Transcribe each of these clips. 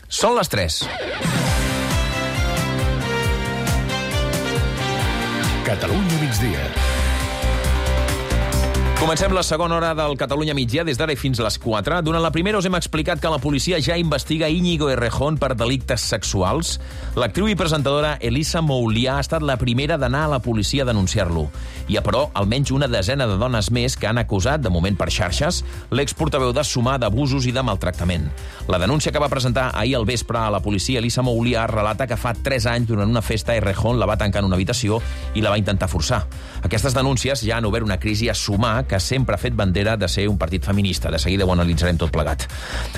Són les 3. Catalunya migdia. Comencem la segona hora del Catalunya migdia, des d'ara i fins a les 4. Durant la primera us hem explicat que la policia ja investiga Íñigo Errejón per delictes sexuals. L'actriu i presentadora Elisa Moulià ha estat la primera d'anar a la policia a denunciar-lo. Hi ha, però, almenys una desena de dones més que han acusat, de moment per xarxes, l'exportaveu de Sumar d'abusos i de maltractament. La denúncia que va presentar ahir al vespre a la policia, Elisa Moulià, relata que fa 3 anys, durant una festa, Errejón la va tancar en una habitació i la va intentar forçar. Aquestes denúncies ja han obert una crisi a Sumar, que sempre ha fet bandera de ser un partit feminista. De seguida ho analitzarem tot plegat.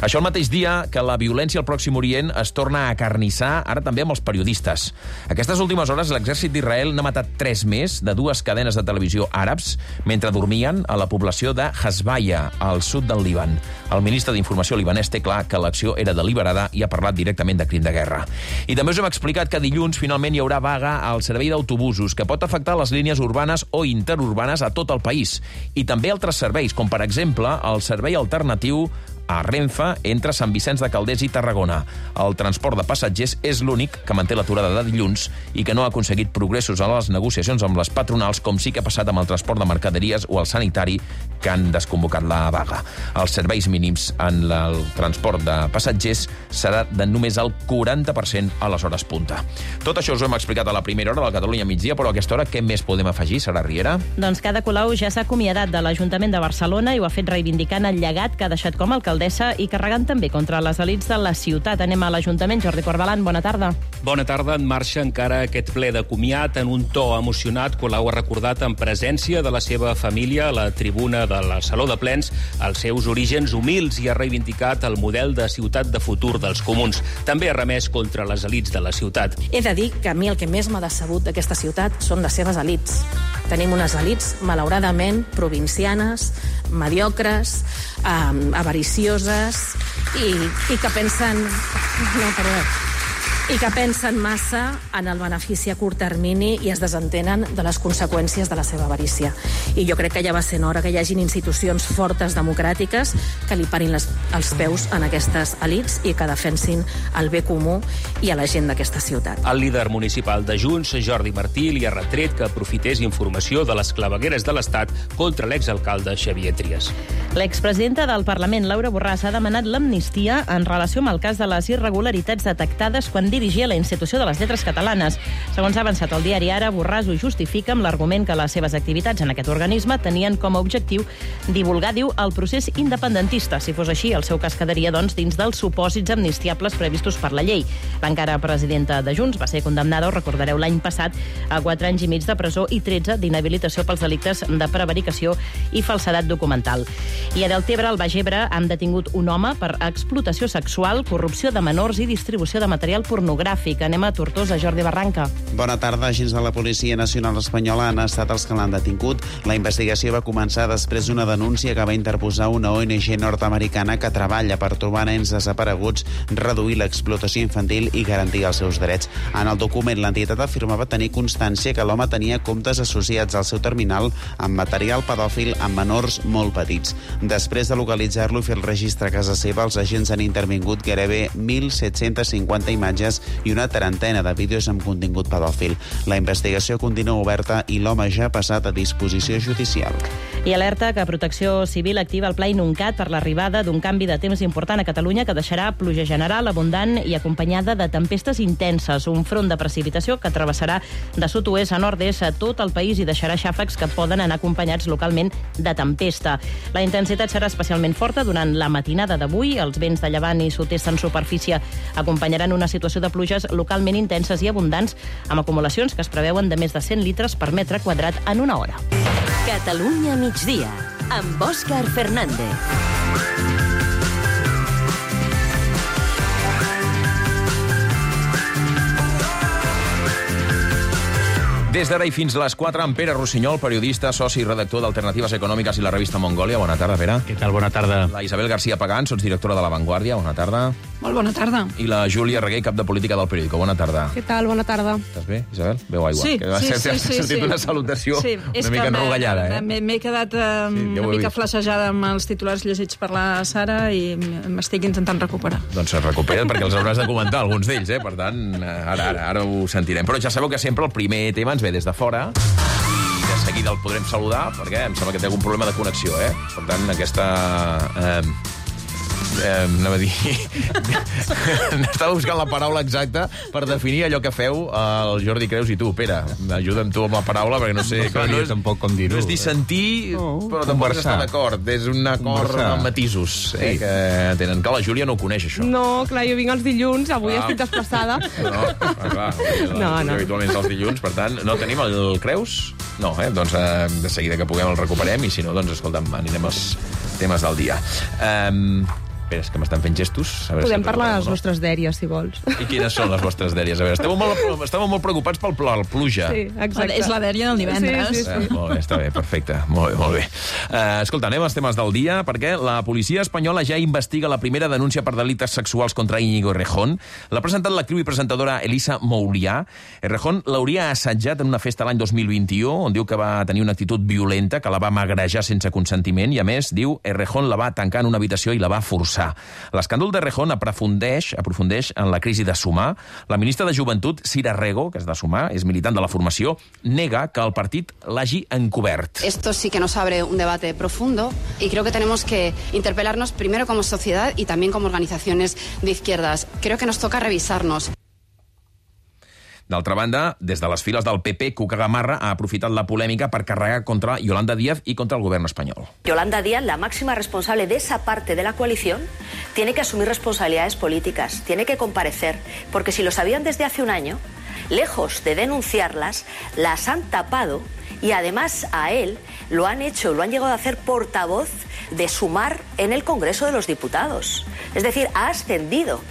Això el mateix dia que la violència al Pròxim Orient es torna a acarnissar, ara també amb els periodistes. Aquestes últimes hores l'exèrcit d'Israel n'ha matat 3 més de 2 cadenes de televisió àrabs mentre dormien a la població de Hasbaya, al sud del Líban. El ministre d'Informació libanès té clar que l'acció era deliberada i ha parlat directament de crim de guerra. I també us hem explicat que dilluns finalment hi haurà vaga al servei d'autobusos, que pot afectar les línies urbanes o interurbanes a tot el país. I també altres serveis, com per exemple el servei alternatiu a Renfe entre Sant Vicenç de Calders i Tarragona. El transport de passatgers és l'únic que manté l'aturada de dilluns i que no ha aconseguit progressos a les negociacions amb les patronals, com sí que ha passat amb el transport de mercaderies o el sanitari, que han desconvocat la vaga. Els serveis mínims en el transport de passatgers serà de només el 40% a les hores punta. Tot això us ho hem explicat a la primera hora del Catalunya migdia, però a aquesta hora què més podem afegir, Sara Riera? Doncs Ada Colau ja s'ha acomiadat de l'Ajuntament de Barcelona i ho ha fet reivindicant el llegat que ha deixat com a alcaldessa i carregant també contra les elits de la ciutat. Anem a l'Ajuntament. Jordi Corbalan, bona tarda. Bona tarda. En marxa encara aquest ple de comiat. En un to emocionat, Colau ha recordat en presència de la seva família a la tribuna del Saló de Plens els seus orígens humils i ha reivindicat el model de ciutat de futur dels comuns. També ha remès contra les elits de la ciutat. He de dir que a mi el que més m'ha decebut d'aquesta ciutat són les seves elits. Tenim unes elits, malauradament, provincianes, mediocres, avaricioses i que pensen... No, perdó. I que pensen massa en el benefici a curt termini i es desentenen de les conseqüències de la seva avarícia. I jo crec que ja va sent hora que hi hagin institucions fortes democràtiques que li parin els peus en aquestes elits i que defensin el bé comú i a la gent d'aquesta ciutat. El líder municipal de Junts, Jordi Martí, li ha retret que aprofités informació de les clavegueres de l'Estat contra l'exalcalde Xavier Trias. L'expresidenta del Parlament, Laura Borràs, ha demanat l'amnistia en relació amb el cas de les irregularitats detectades quan dirigia la Institució de les Lletres Catalanes. Segons ha avançat el diari Ara, Borràs ho justifica amb l'argument que les seves activitats en aquest organisme tenien com a objectiu divulgar, diu, el procés independentista. Si fos així, el seu cas quedaria, doncs, dins dels supòsits amnistiables previstos per la llei. L'encara presidenta de Junts va ser condemnada, ho recordareu, l'any passat, a 4 anys i mig de presó i 13 d'inhabilitació pels delictes de prevaricació i falsedat documental. I a Deltebre, al Baix Ebre, han detingut un home per explotació sexual, corrupció de menors i distribució de material pornogràfic. Anem a Tortosa, Jordi Barranca. Bona tarda. Agents de la Policia Nacional Espanyola han estat els que l'han detingut. La investigació va començar després d'una denúncia que va interposar una ONG nord-americana que treballa per trobar nens desapareguts, reduir l'explotació infantil i garantir els seus drets. En el document, l'entitat afirmava tenir constància que l'home tenia comptes associats al seu terminal amb material pedòfil amb menors molt petits. Després de localitzar-lo i fer el registre a casa seva, els agents han intervingut gairebé 1.750 imatges i una trentena de vídeos amb contingut pedòfil. La investigació continua oberta i l'home ja ha passat a disposició judicial. I alerta que Protecció Civil activa el Pla Inuncat per l'arribada d'un canvi de temps important a Catalunya que deixarà pluja general, abundant i acompanyada de tempestes intenses. Un front de precipitació que travessarà de sud-oest a nord-est a tot el país i deixarà xàfecs que poden anar acompanyats localment de tempesta. La intensitat serà especialment forta durant la matinada d'avui. Els vents de llevant i sud-est en superfície acompanyaran una situació de pluges localment intenses i abundants, amb acumulacions que es preveuen de més de 100 litres per metre quadrat en una hora. Catalunya migdia, amb Òscar Fernández. Des d'ara i fins a les 4, en Pere Rossinyol, periodista, soci i redactor d'Alternatives Econòmiques i la revista Mongòlia. Bona tarda, Pere. Què tal? Bona tarda. La Isabel García Pagán, sotsdirectora de La Vanguardia. Bona tarda. Molt bona tarda. I la Júlia Reguer, cap de política del Periódico. Bona tarda. Què tal? Bona tarda. Estàs bé, Isabel? Beu aigua. Sí, Has sentit una salutació una mica enrogallada, eh? M'he quedat una mica flassejada amb els titulars llegits per la Sara i m'estic intentant recuperar. Doncs es recupera't perquè els hauràs de comentar, alguns d'ells, eh? Per tant, ara ho sentirem. Però ja sabeu que sempre el primer tema ens ve des de fora i de seguida el podrem saludar perquè em sembla que té algun problema de connexió, eh? Per tant, aquesta... anava a dir... Estava buscant la paraula exacta per definir allò que feu el Jordi Creus i tu. Pere, ajuda'm tu amb la paraula perquè no sé... No sabia tampoc com dir-ho. No és dissentir, però tampoc és estar d'acord. És un acord amb matisos que tenen. Que la Júlia no ho coneix, això. No, clar, jo vinc els dilluns, avui estic desplaçada. Clar, habitualment els dilluns, per tant, no tenim el Creus? No, doncs de seguida que puguem el recuperem i si no, doncs escolta'm, anirem als temes del dia. Espera, és que m'estan fent gestos. Podem parlar de les nostres dèries, si vols. I quines són les vostres dèries? A veure, estàvem molt preocupats pel pluja. Sí, exacte. És la dèria del divendres. Sí. Molt bé, està bé, perfecte. Molt bé. Escolta, anem als temes del dia, perquè la policia espanyola ja investiga la primera denúncia per delictes sexuals contra Íñigo Errejón. L'ha presentat l'actriu i presentadora Elisa Moulià. Errejón l'hauria assetjat en una festa l'any 2021, on diu que va tenir una actitud violenta, que la va magrejar sense consentiment, i a més, diu, Errejón la va tancar en una habitació i la va forçar. L'escàndol d'Errejón aprofundeix en la crisi de Sumar. La ministra de Joventut, Sira Rego, que és de Sumar, és militant de la formació, nega que el partit l'hagi encobert. Esto sí que nos abre un debate profundo y creo que tenemos que interpelarnos primero como sociedad y también como organizaciones de izquierdas. Creo que nos toca revisarnos. D'altra banda, des de les files del PP, Cuca Gamarra ha aprofitat la polèmica per carregar contra Yolanda Díaz y contra el gobierno español. Yolanda Díaz, la máxima responsable de esa parte de la coalición, tiene que asumir responsabilidades políticas, tiene que comparecer, porque si lo sabían desde hace un año, lejos de denunciarlas, las han tapado y además a él lo han llegado a hacer portavoz de Sumar en el Congreso de los Diputados. Es decir, ha ascendido.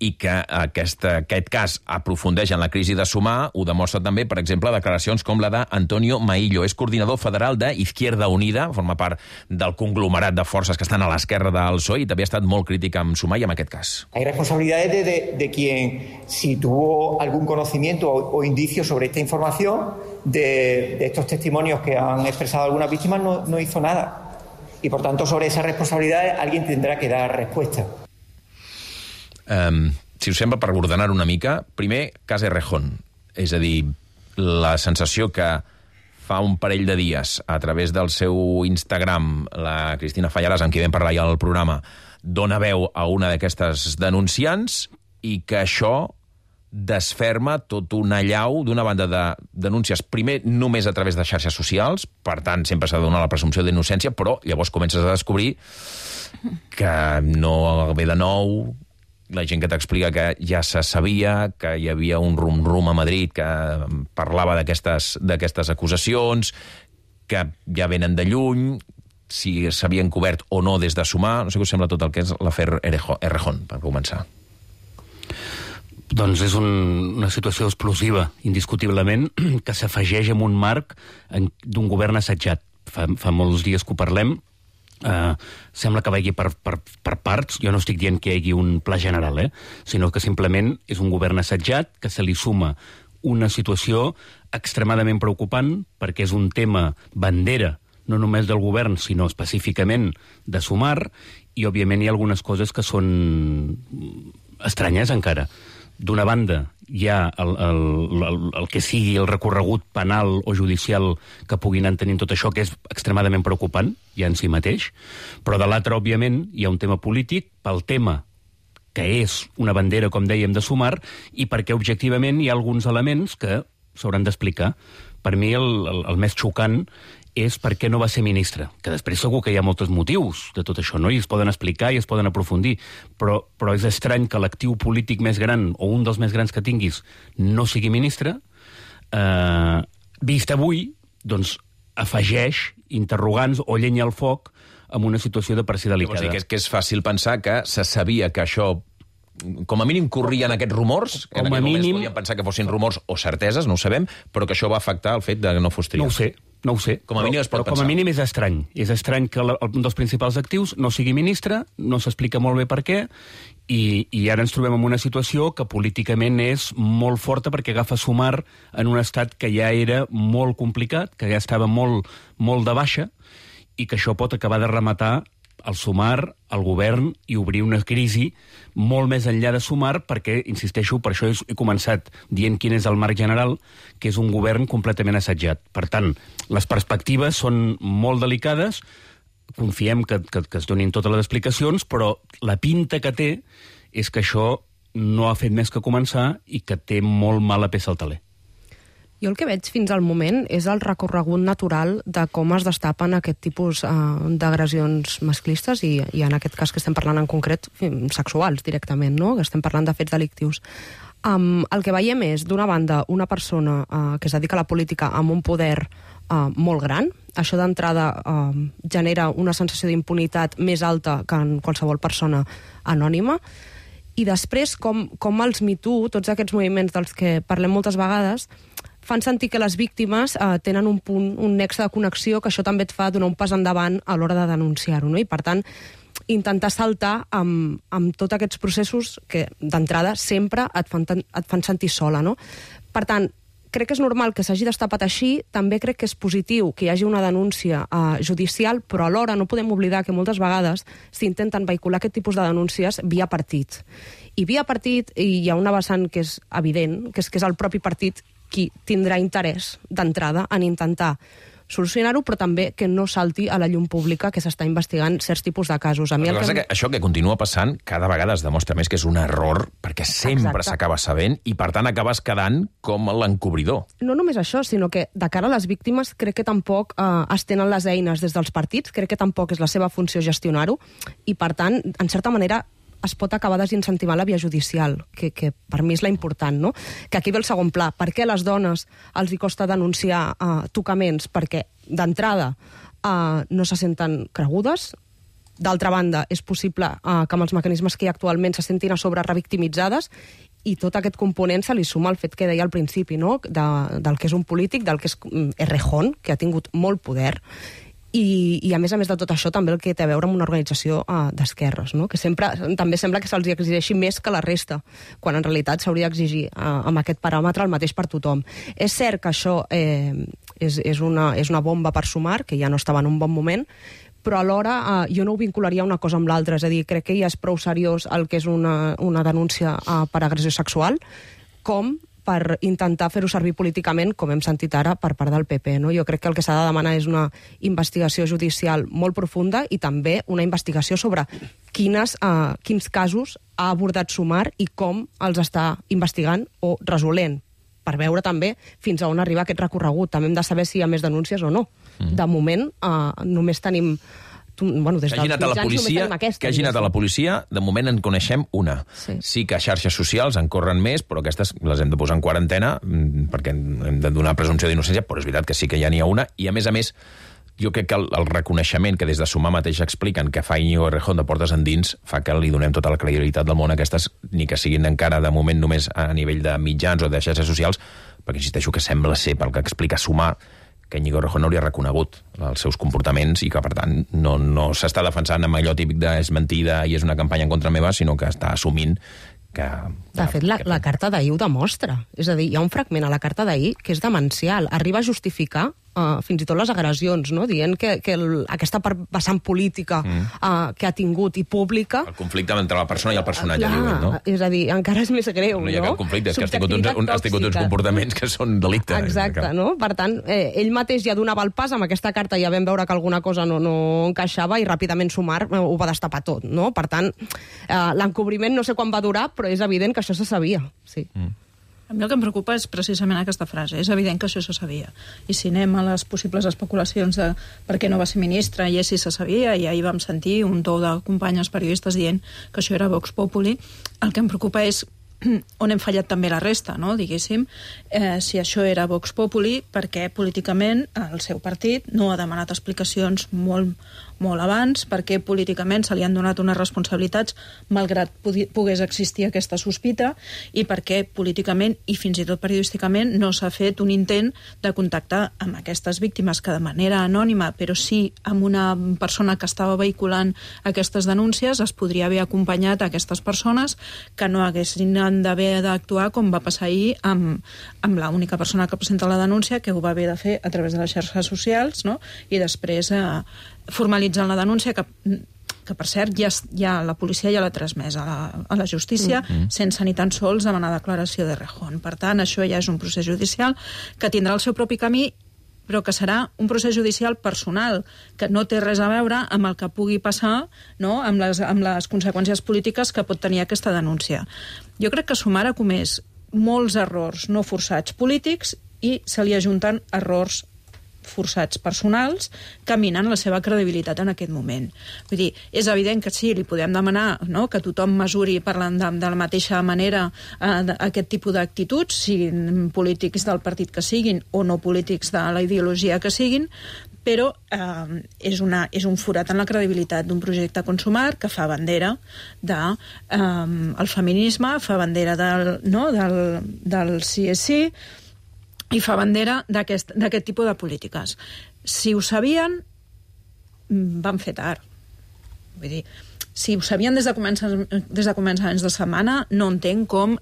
I que aquest cas aprofundeix en la crisi de Sumar ho demostra també, per exemple, declaracions com la d'Antonio Maillo. És coordinador federal d'Izquierda Unida, forma part del conglomerat de forces que estan a l'esquerra del PSOE i també ha estat molt crític amb Sumar i amb aquest cas. Hay responsabilidades de quien, si tuvo algún conocimiento o indicio sobre esta información, de estos testimonios que han expresado algunas víctimas, no hizo nada. Y por tanto, sobre esas responsabilidades alguien tendrá que dar respuesta. Si us sembla, per ordenar una mica, primer, cas Errejón. És a dir, la sensació que fa un parell de dies, a través del seu Instagram, la Cristina Fallarás, amb qui vam parlar ja al programa, dona veu a una d'aquestes denunciants i que això desferma tot un allau d'una banda de denúncies, primer només a través de xarxes socials, per tant sempre s'ha de donar la presumpció d'innocència, però llavors comences a descobrir que no ve de nou, la gent que t'explica que ja se sabia, que hi havia un rum-rum a Madrid que parlava d'aquestes acusacions, que ja venen de lluny, si s'havien cobert o no des de Sumar. No sé què us sembla tot el que és l'afer Errejón, per començar. Doncs és una situació explosiva, indiscutiblement, que s'afegeix en un marc d'un govern assetjat. Fa molts dies que ho parlem. Sembla que vagi per parts. Jo no estic dient que hi hagi un pla general, sinó que simplement és un govern assetjat que se li suma una situació extremadament preocupant perquè és un tema bandera no només del govern, sinó específicament de Sumar, i òbviament hi ha algunes coses que són estranyes encara. D'una banda, hi ha el que sigui el recorregut penal o judicial que puguin anar tenint tot això, que és extremadament preocupant, ja en si mateix, però de l'altre, òbviament, hi ha un tema polític pel tema que és una bandera, com dèiem, de Sumar, i perquè, objectivament, hi ha alguns elements que s'hauran d'explicar. Per mi, el més xocant és per què no va ser ministre, que després segur que hi ha molts motius de tot això, no? I es poden explicar i es poden aprofundir, però és estrany que l'actiu polític més gran, o un dels més grans que tinguis, no sigui ministre. Vist avui, doncs, afegeix interrogants o llenya al foc amb una situació de per si delicada. O sigui, que és fàcil pensar que se sabia que això, com a mínim, corrien aquests rumors, que en aquell moment podíem pensar que fossin rumors o certeses, no ho sabem, però que això va afectar el fet de que no fos triat. No ho sé. Com a mínim es pot pensar. Com a mínim és estrany. És estrany que un dels principals actius no sigui ministre, no s'explica molt bé per què, I ara ens trobem en una situació que políticament és molt forta perquè agafa Sumar en un estat que ja era molt complicat, que ja estava molt de baixa, i que això pot acabar de rematar el Sumar, el govern, i obrir una crisi molt més enllà de Sumar, perquè, insisteixo, per això he començat dient quin és el marc general, que és un govern completament assetjat. Per tant, les perspectives són molt delicades, confiem que es donin totes les explicacions, però la pinta que té és que això no ha fet més que començar i que té molt mala peça al taler. Jo el que veig fins al moment és el recorregut natural de com es destapen aquest tipus d'agressions masclistes i en aquest cas que estem parlant en concret sexuals directament, no? Que estem parlant de fets delictius. El que veiem és, d'una banda, una persona que es dedica a la política amb un poder molt gran. Això d'entrada genera una sensació d'impunitat més alta que en qualsevol persona anònima. I després, com els Me Too, tots aquests moviments dels que parlem moltes vegades, fan sentir que les víctimes tenen un punt, un nexe de connexió, que això també et fa donar un pas endavant a l'hora de denunciar-ho, no? I, per tant, intentar saltar amb tots aquests processos que, d'entrada, sempre et fan sentir sola, no? Per tant, crec que és normal que s'hagi destapat així, també crec que és positiu que hi hagi una denúncia judicial, però alhora no podem oblidar que moltes vegades s'intenten vehicular aquest tipus de denúncies via partit. I via partit hi ha una vessant que és evident, que és el propi partit qui tindrà interès d'entrada en intentar solucionar-ho, però també que no salti a la llum pública que s'està investigant certs tipus de casos. El que passa que això que continua passant cada vegada es demostra més que és un error, perquè sempre s'acaba sabent i, per tant, acabes quedant com l'encobridor. No només això, sinó que de cara a les víctimes crec que tampoc es tenen les eines des dels partits, crec que tampoc és la seva funció gestionar-ho, i, per tant, en certa manera, es pot acabar desincentivant la via judicial, que per mi és la important, no? Que aquí ve el segon pla. Per què a les dones els hi costa denunciar tocaments? Perquè, d'entrada, no se senten cregudes. D'altra banda, és possible que amb els mecanismes que hi ha actualment se sentin a sobre revictimitzades, i tot aquest component se li suma al fet que deia al principi, no? Del que és un polític, del que és Errejón, que ha tingut molt poder. I a més de tot això, també el que té a veure amb una organització d'esquerres, no? Que també sembla que se'ls exigeixi més que la resta, quan en realitat s'hauria d'exigir amb aquest paràmetre el mateix per tothom. És cert que això és una bomba per Sumar, que ja no estava en un bon moment, però alhora jo no ho vincularia una cosa amb l'altra, és a dir, crec que ja és prou seriós el que és una denúncia per agressió sexual, com per intentar fer-ho servir políticament, com hem sentit ara, per part del PP. No? Jo crec que el que s'ha de demanar és una investigació judicial molt profunda i també una investigació sobre quins casos ha abordat Sumar i com els està investigant o resolent, per veure també fins a on arriba aquest recorregut. També hem de saber si hi ha més denúncies o no. De moment, només tenim... des que hagi anat a la policia, de moment en coneixem una. Sí que a xarxes socials en corren més, però aquestes les hem de posar en quarantena perquè hem de donar presumpció d'innocència, però és veritat que sí que ja n'hi ha una, i a més, jo crec que el reconeixement que des de Sumar mateix expliquen que fa Íñigo Errejón de portes endins fa que li donem tota la credibilitat del món a aquestes, ni que siguin encara de moment només a nivell de mitjans o de xarxes socials, perquè insisteixo que sembla ser, pel que explica Sumar, que Íñigo Errejón no hauria reconegut els seus comportaments i que, per tant, no s'està defensant amb allò típic de és mentida i és una campanya en contra meva, sinó que està assumint que... De fet, la carta d'ahir ho demostra. És a dir, hi ha un fragment a la carta d'ahir que és demencial. Arriba a justificar fins i tot les agressions, no? Dient que aquesta vessant política que ha tingut i pública... El conflicte entre la persona i el personatge, diuen, no? És a dir, encara és més greu, no? No hi ha cap conflicte, és que has tingut uns comportaments que són delicte. Exacte, no? Per tant, ell mateix ja donava el pas, amb aquesta carta ja vam veure que alguna cosa no encaixava i ràpidament Sumar ho va destapar tot, no? Per tant, l'encobriment no sé quan va durar, però és evident que això se sabia, sí. A mi el que em preocupa és precisament aquesta frase. És evident que això se sabia. I si anem a les possibles especulacions de per què no va ser ministre i si se sabia, i ahir vam sentir un to de companyes periodistes dient que això era Vox Populi, el que em preocupa és on hem fallat també la resta, no? Diguéssim, si això era Vox Populi, perquè políticament el seu partit no ha demanat explicacions molt abans, perquè políticament se li han donat unes responsabilitats malgrat pogués existir aquesta sospita, i perquè políticament i fins i tot periodísticament no s'ha fet un intent de contactar amb aquestes víctimes que de manera anònima, però sí amb una persona que estava vehiculant aquestes denúncies, es podria haver acompanyat a aquestes persones que no haguessin d'haver d'actuar com va passar ahir amb l'única persona que presenta la denúncia, que ho va haver de fer a través de les xarxes socials, no? I després formalitzant la denúncia que per cert ja la policia ja l'ha transmès a la justícia sense ni tan sols demanar declaració de Rejón. Per tant, això ja és un procés judicial que tindrà el seu propi camí, però que serà un procés judicial personal, que no té res a veure amb el que pugui passar, no? amb les conseqüències polítiques que pot tenir aquesta denúncia. Jo crec que Sumar ha comès molts errors no forçats polítics i se li ajunten errors forçats personals que minen la seva credibilitat en aquest moment. Vull dir, és evident que sí, li podem demanar, no?, que tothom mesuri parlant de la mateixa manera aquest tipus d'actituds, siguin polítics del partit que siguin o no polítics de la ideologia que siguin, però és un forat en la credibilitat d'un projecte com Sumar que fa bandera del feminisme, fa bandera del sí és sí, i fa bandera d'aquest tipus de polítiques. Si ho sabien, van fer tard. Vull dir, si ho sabien des de començaments de setmana, no entenc com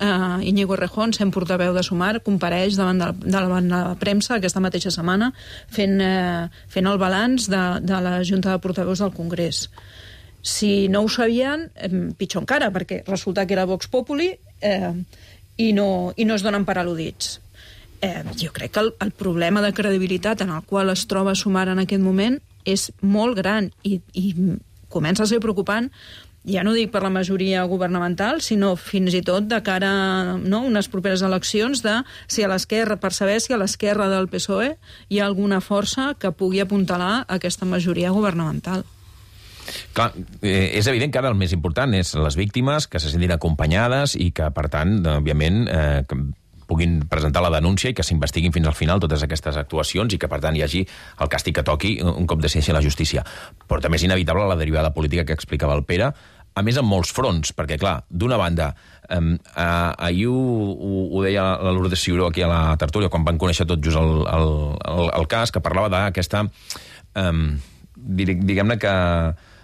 Íñigo Errejón, sent portaveu de Sumar, compareix davant la premsa aquesta mateixa setmana fent el balanç de la Junta de Portaveus del Congrés. Si no ho sabien, pitjor encara, perquè resulta que era Vox Populi i no es donen per al·ludits. Jo crec que el problema de credibilitat en el qual es troba Sumar en aquest moment és molt gran i comença a ser preocupant, ja no dic per la majoria governamental, sinó fins i tot de cara a unes properes eleccions per saber si a l'esquerra del PSOE hi ha alguna força que pugui apuntalar aquesta majoria governamental. Clar, és evident que ara el més important és les víctimes, que se sentin acompanyades i que, per tant, òbviament, puguin presentar la denúncia i que s'investiguin fins al final totes aquestes actuacions i que, per tant, hi hagi el càstig que toqui un cop decideixi la justícia. Però també és inevitable la derivada política que explicava el Pere, a més en molts fronts, perquè, clar, d'una banda, ahir ho deia la Lourdes Ciuró aquí a la tertúlia, quan van conèixer tot just el cas, que parlava d'aquesta, diguem-ne que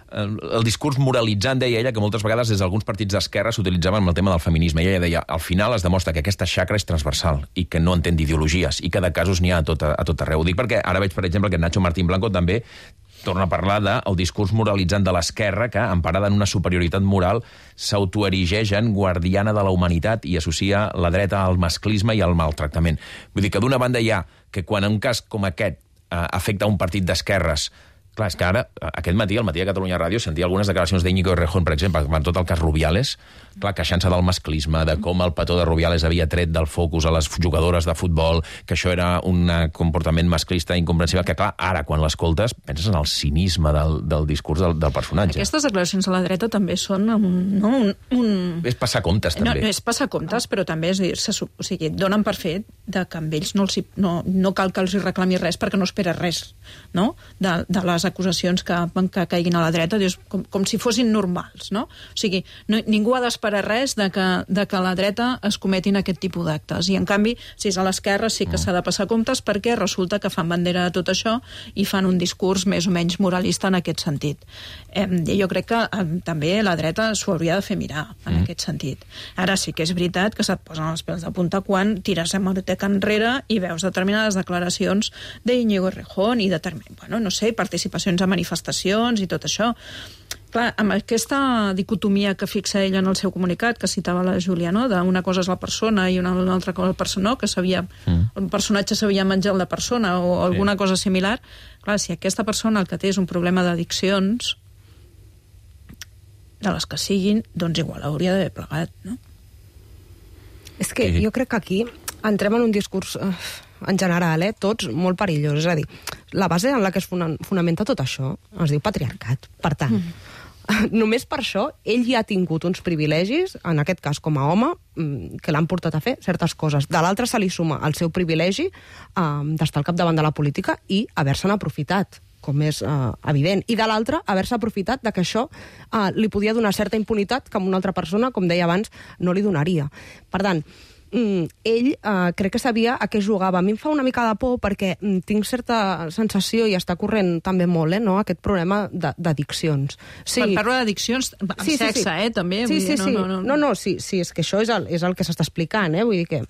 el discurs moralitzant, deia ella, que moltes vegades des d'alguns partits d'esquerra s'utilitzaven amb el tema del feminisme. I ella deia, al final es demostra que aquesta xacra és transversal i que no entén d'ideologies i que de casos n'hi ha a tot arreu. Ho dic perquè ara veig, per exemple, que Nacho Martín Blanco també torna a parlar del discurs moralitzant de l'esquerra que, emparada en una superioritat moral, s'autoerigeix en guardiana de la humanitat i associa la dreta al masclisme i al maltractament. Vull dir que d'una banda hi ha que quan un cas com aquest afecta un partit d'esquerres. Clar, és que ara, aquest matí, al Matí de Catalunya Ràdio, sentia algunes declaracions d'Íñigo Errejón, per exemple, per tot el cas Rubiales, clar, queixant-se del masclisme, de com el petó de Rubiales havia tret del focus a les jugadores de futbol, que això era un comportament masclista incomprensible, que clar, ara, quan l'escoltes, penses en el cinisme del discurs del personatge. Aquestes declaracions a la dreta també són És passar comptes, també. No és passar comptes, però també és dir, o sigui, donen per fet que amb ells no cal que els reclami res perquè no espera res, no?, de les acusacions que caiguin a la dreta, dius, com si fossin normals, no? O sigui, ningú ha d'esperar res de que a la dreta es cometin aquest tipus d'actes. I, en canvi, si és a l'esquerra, sí que s'ha de passar comptes perquè resulta que fan bandera de tot això i fan un discurs més o menys moralista en aquest sentit. Jo crec que també la dreta s'ho hauria de fer mirar en aquest sentit. Ara sí que és veritat que se't posen els pèls de punta quan tires hemeroteca enrere i veus determinades declaracions d'Íñigo Errejón i no sé, participacions a manifestacions i tot això. Clar, amb aquesta dicotomia que fixa ella en el seu comunicat, que citava la Júlia, no?, d'una cosa és la persona i una altra cosa el persona, que el personatge s'havia menjat la persona o alguna cosa similar. Clar, si aquesta persona el que té és un problema d'addiccions, de les que siguin, doncs igual hauria d'haver plegat, no? És que jo crec que aquí entrem en un discurs en general, tots molt perillós. És a dir, la base en la que es fonamenta tot això es diu patriarcat. Per tant, Només per això, ell ja ha tingut uns privilegis, en aquest cas com a home, que l'han portat a fer certes coses. De l'altre se li suma el seu privilegi d'estar al capdavant de la política i haver-se'n aprofitat, com és evident. I de l'altre, haver-se aprofitat de que això li podia donar certa impunitat que a una altra persona, com deia abans, no li donaria. Per tant, ell crec que sabia a què jugava. A mi em fa una mica de por perquè tinc certa sensació, i està corrent també molt, no? Aquest problema d'addiccions. Sí. Quan parlo d'addiccions, amb sexe, també? Sí, sí, sí. No, sí, és que això és el que s'està explicant, vull dir que...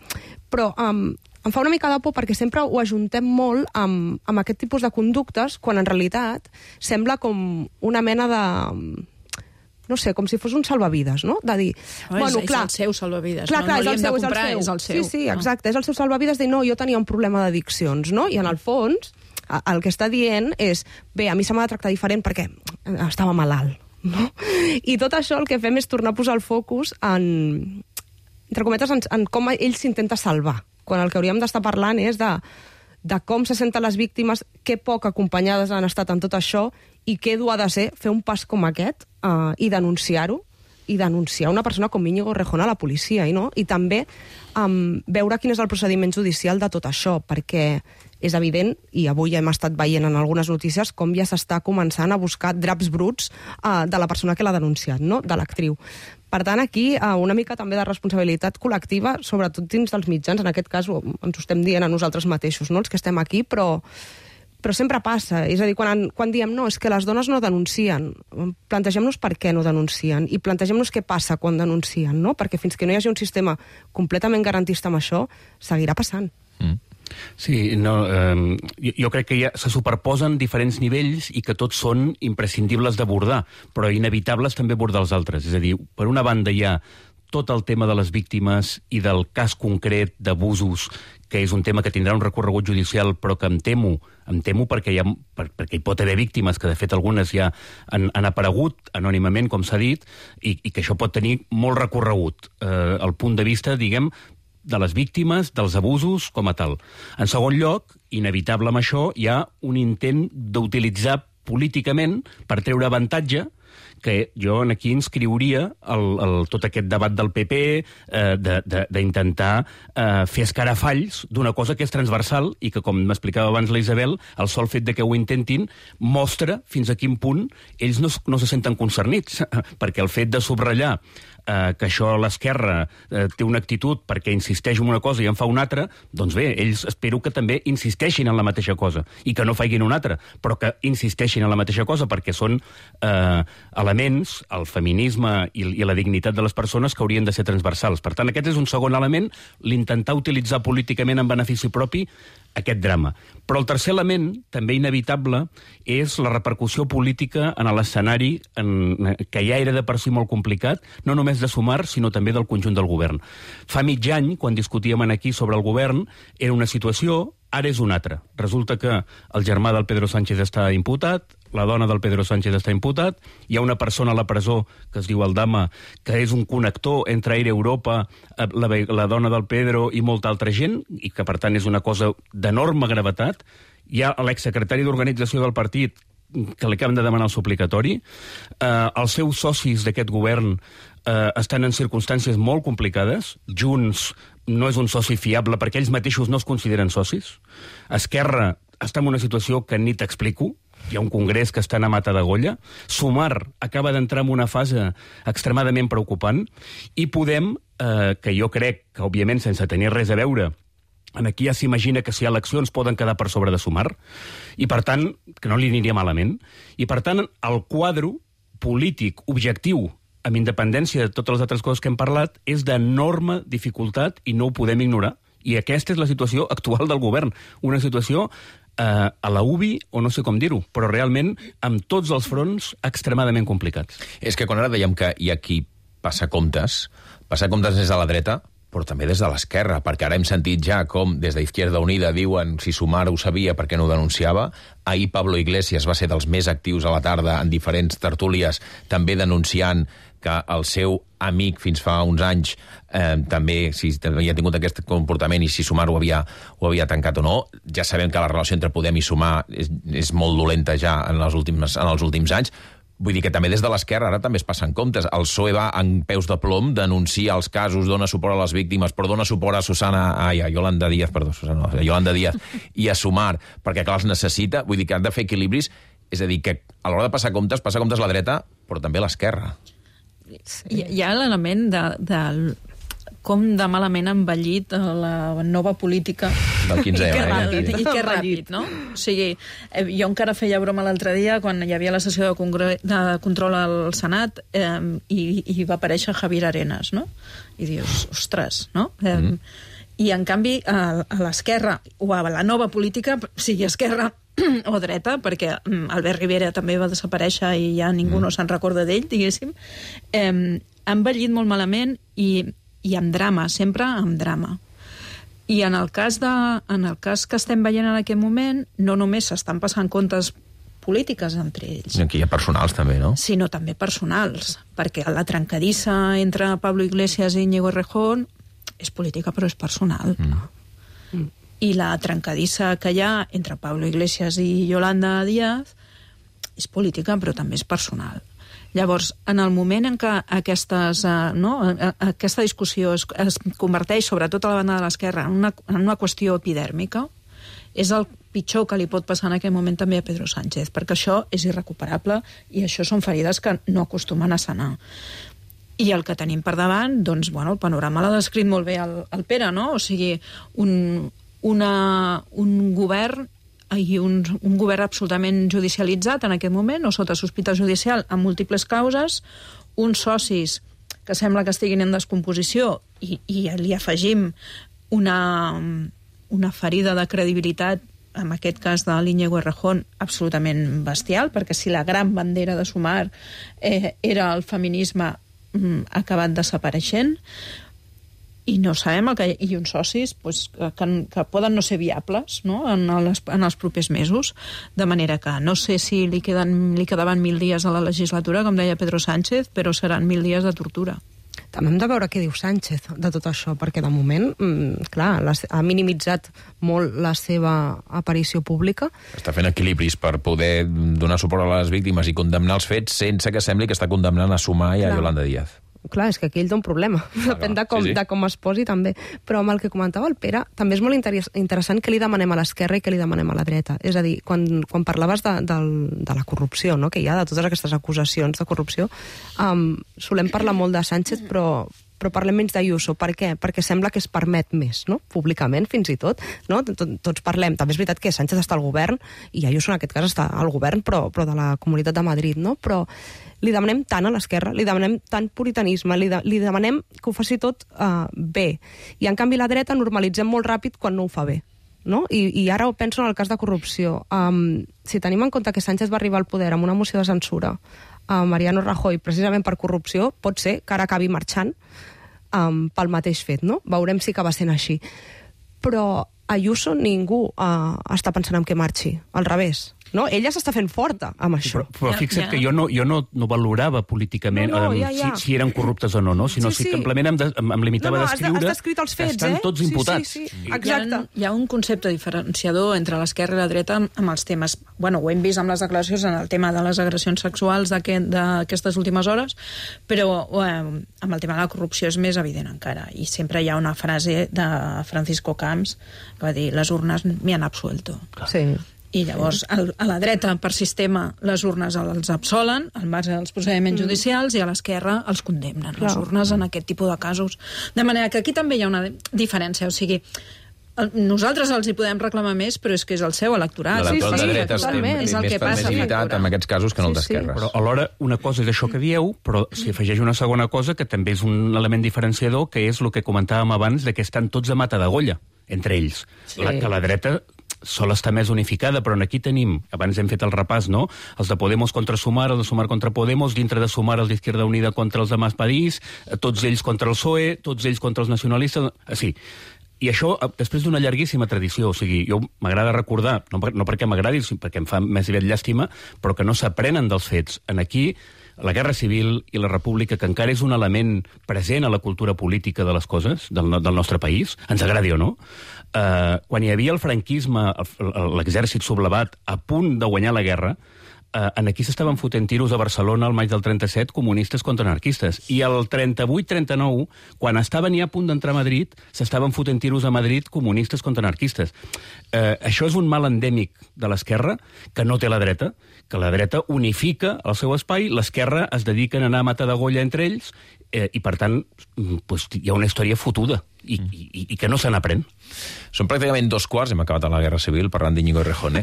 Però em fa una mica de por perquè sempre ho ajuntem molt amb aquest tipus de conductes, quan en realitat sembla com una mena de... no sé, com si fos un salvavides, no? De dir, bueno, clar... És el seu salvavides, clar, no l'hem de comprar, és el seu. Sí, exacte, és el seu salvavides, de no, jo tenia un problema d'addiccions, no? I en el fons, el que està dient és, bé, a mi se m'ha de tractar diferent perquè estava malalt, no? I tot això el que fem és tornar a posar el focus entre cometes, en com ell s'intenta salvar, quan el que hauríem d'estar parlant és de com se senten les víctimes, que poc acompanyades han estat en tot això, i què dur ha de ser fer un pas com aquest i denunciar-ho, i denunciar una persona com Íñigo Errejón a la policia, i també veure quin és el procediment judicial de tot això, perquè és evident, i avui ja hem estat veient en algunes notícies, com ja s'està començant a buscar draps bruts de la persona que l'ha denunciat, no? De l'actriu. Per tant, aquí una mica també de responsabilitat col·lectiva, sobretot dins dels mitjans, en aquest cas ens ho estem dient a nosaltres mateixos, no? Els que estem aquí, però sempre passa. És a dir, quan diem no, és que les dones no denuncien, plantegem-nos per què no denuncien i plantegem-nos què passa quan denuncien, no? Perquè fins que no hi hagi un sistema completament garantista amb això, seguirà passant. Sí, jo crec que se superposen diferents nivells i que tots són imprescindibles d'abordar, però inevitables també abordar els altres. És a dir, per una banda hi ha tot el tema de les víctimes i del cas concret d'abusos, que és un tema que tindrà un recorregut judicial, però que em temo perquè hi pot haver víctimes, que de fet algunes ja han aparegut anònimament, com s'ha dit, i que això pot tenir molt recorregut. El punt de vista, diguem, de les víctimes, dels abusos, com a tal. En segon lloc, inevitable amb això, hi ha un intent d'utilitzar políticament per treure avantatge, que jo aquí inscriuria tot aquest debat del PP d'intentar fer escarafalls d'una cosa que és transversal i que, com m'explicava abans la Isabel, el sol fet de que ho intentin mostra fins a quin punt ells no se senten concernits, perquè el fet de subratllar que això l'esquerra té una actitud perquè insisteix en una cosa i en fa una altra, doncs bé, ells espero que també insisteixin en la mateixa cosa i que no facin una altra, però que insisteixin en la mateixa cosa perquè són elements, el feminisme i la dignitat de les persones que haurien de ser transversals. Per tant, aquest és un segon element, l'intentar utilitzar políticament en benefici propi aquest drama. Però el tercer element, també inevitable, és la repercussió política en l'escenari que ja era de per si molt complicat, no només de Sumar, sinó també del conjunt del govern. Fa mig any, quan discutíem aquí sobre el govern, era una situació, ara és una altra. Resulta que el germà del Pedro Sánchez està imputat, la dona del Pedro Sánchez està imputat, hi ha una persona a la presó que es diu Aldama, que és un connector entre Air Europa, la dona del Pedro i molta altra gent, i que per tant és una cosa d'enorme gravetat. Hi ha l'exsecretari d'organització del partit que li acaben de demanar el suplicatori. Els seus socis d'aquest govern estan en circumstàncies molt complicades. Junts no és un soci fiable perquè ells mateixos no es consideren socis. Esquerra està en una situació que ni t'explico. Hi ha un congrés que està a mata d'agolla. Sumar acaba d'entrar en una fase extremadament preocupant. I Podem, que jo crec que, òbviament, sense tenir res a veure, aquí ja s'imagina que si hi ha eleccions poden quedar per sobre de Sumar, i per tant, que no li aniria malament, i per tant, el quadre polític objectiu, amb independència de totes les altres coses que hem parlat, és d'enorme dificultat i no ho podem ignorar. I aquesta és la situació actual del govern. Una situació a la UBI, o no sé com dir-ho, però realment amb tots els fronts extremadament complicats. És que quan ara dèiem que hi ha qui passa comptes des de la dreta, però també des de l'esquerra, perquè ara hem sentit ja com des d'Izquierda Unida diuen si Sumar ho sabia perquè no ho denunciava. Ahir Pablo Iglesias va ser dels més actius a la tarda en diferents tertúlies, també denunciant que el seu amic fins fa uns anys també havia tingut aquest comportament i si Sumar ho havia tancat o no. Ja sabem que la relació entre Podem i Sumar és molt dolenta ja en els últims anys, Vull dir que també des de l'esquerra ara també es passen comptes. El PSOE va en peus de plom, denuncia els casos, dona suport a les víctimes, però dona suport a Yolanda Díaz, i a Sumar, perquè clar, els necessita. Vull dir que han de fer equilibris. És a dir, que a l'hora de passar comptes la dreta, però també l'esquerra. Hi ha l'element de com de malament ha envellit la nova política. Del 15 I que ràpid, no? O sigui, jo encara feia broma l'altre dia quan hi havia la sessió de control al Senat i va aparèixer Javier Arenas, no? I dius, ostres, no? I en canvi a l'esquerra o a la nova política, sigui esquerra o dreta, perquè Albert Rivera també va desaparèixer i ja ningú no se'n recorda d'ell, diguéssim, ha envellit molt malament i amb drama, sempre amb drama. I en el cas que estem veient en aquest moment, no només s'estan passant comptes polítiques entre ells. Aquí hi ha personals també, no? Sinó també personals, perquè la trencadissa entre Pablo Iglesias i Íñigo Errejón és política però és personal. I la trencadissa que hi ha entre Pablo Iglesias i Yolanda Díaz és política però també és personal. Llavors, en el moment en què aquesta discussió es converteix, sobretot a la banda de l'esquerra, en una qüestió epidèrmica, és el pitjor que li pot passar en aquell moment també a Pedro Sánchez, perquè això és irrecuperable i això són ferides que no acostumen a sanar. I el que tenim per davant, doncs, bueno, el panorama l'ha descrit molt bé el Pere, no? O sigui, un govern i un govern absolutament judicialitzat en aquest moment, o sota sospita judicial, amb múltiples causes, uns socis que sembla que estiguin en descomposició i li afegim una ferida de credibilitat, en aquest cas de l'Íñigo Errejón, absolutament bestial, perquè si la gran bandera de Sumar era el feminisme, ha acabat desapareixent, i no sabem i uns socis que poden no ser viables, no? en els propers mesos, de manera que no sé si li quedaven 1.000 dies a la legislatura, com deia Pedro Sánchez, però seran 1.000 dies de tortura. També hem de veure què diu Sánchez de tot això, perquè de moment, clar, ha minimitzat molt la seva aparició pública. Està fent equilibris per poder donar suport a les víctimes i condemnar els fets sense que sembli que està condemnant a Sumar i a Yolanda Díaz. Clar, és que aquí ell té un problema. Depèn de com es posi, també. Però amb el que comentava el Pere, també és molt interessant què li demanem a l'esquerra i què li demanem a la dreta. És a dir, quan parlaves de la corrupció, no?, que hi ha, de totes aquestes acusacions de corrupció, solem parlar molt de Sánchez, però parlem menys d'Ayuso. Per què? Perquè sembla que es permet més, no?, públicament, fins i tot. No? Tots parlem. També és veritat que Sánchez està al govern, i Ayuso en aquest cas està al govern, però de la Comunitat de Madrid, no? Però li demanem tant a l'esquerra, li demanem tant puritanisme, li demanem que ho faci tot bé. I en canvi la dreta normalitzem molt ràpid quan no ho fa bé. No? I ara ho penso en el cas de corrupció. Si tenim en compte que Sánchez va arribar al poder amb una moció de censura a Mariano Rajoy precisament per corrupció, pot ser que ara acabi marxant pel mateix fet, no? Veurem si acaba sent així. Però Ayuso ningú està pensant en què marxi, al revés. No? Ella s'està fent forta amb això. Però fixa't que jo no valorava políticament si eren corruptes o no, sinó que simplement em limitava a descriure que estan tots imputats. Sí. Exacte. Hi ha un concepte diferenciador entre l'esquerra i la dreta amb els temes. Bueno, ho hem vist amb les declaracions en el tema de les agressions sexuals d'aquestes últimes hores, però amb el tema de la corrupció és més evident encara. I sempre hi ha una frase de Francisco Camps que va dir: les urnes m'hi han absuelto. Sí. I llavors, a la dreta, per sistema, les urnes els absolen, al marge dels procediments judicials, i a l'esquerra els condemnen, les urnes, en aquest tipus de casos. De manera que aquí també hi ha una diferència, o sigui, nosaltres els hi podem reclamar més, però és que és el seu electorat. El de dreta és el que passa. Més limitat en aquests casos que en el d'esquerres. Però alhora, una cosa és això que dieu, però s'hi afegeix una segona cosa que també és un element diferenciador, que és el que comentàvem abans, de que estan tots a mata d'agolla, entre ells. Que la dreta sol estar més unificada, però aquí tenim, abans hem fet el repàs, no?, els de Podemos contra Sumar, els de Sumar contra Podemos, dintre de Sumar els d'Izquierda Unida contra els de Mas Padís, tots ells contra el PSOE, tots ells contra els nacionalistes, sí. I això, després d'una llarguíssima tradició, o sigui, jo m'agrada recordar, no perquè m'agradi, sinó perquè em fa més aviat llàstima, però que no s'aprenen dels fets. En aquí, la Guerra Civil i la República, que encara és un element present a la cultura política de les coses, del nostre país, ens agradi o no, quan hi havia el franquisme, l'exèrcit sublevat, a punt de guanyar la guerra, aquí s'estaven fotent tiros a Barcelona al maig del 37, comunistes contra anarquistes. I el 38-39, quan estaven ja a punt d'entrar a Madrid, s'estaven fotent tiros a Madrid comunistes contra anarquistes. Això és un mal endèmic de l'esquerra que no té la dreta, que la dreta unifica el seu espai, l'esquerra es dedica a anar a matar de golla entre ells, i per tant hi ha una història fotuda i que no se n'aprèn. Són pràcticament 2 quarts, hem acabat a la Guerra Civil parlant d'Íñigo Errejón,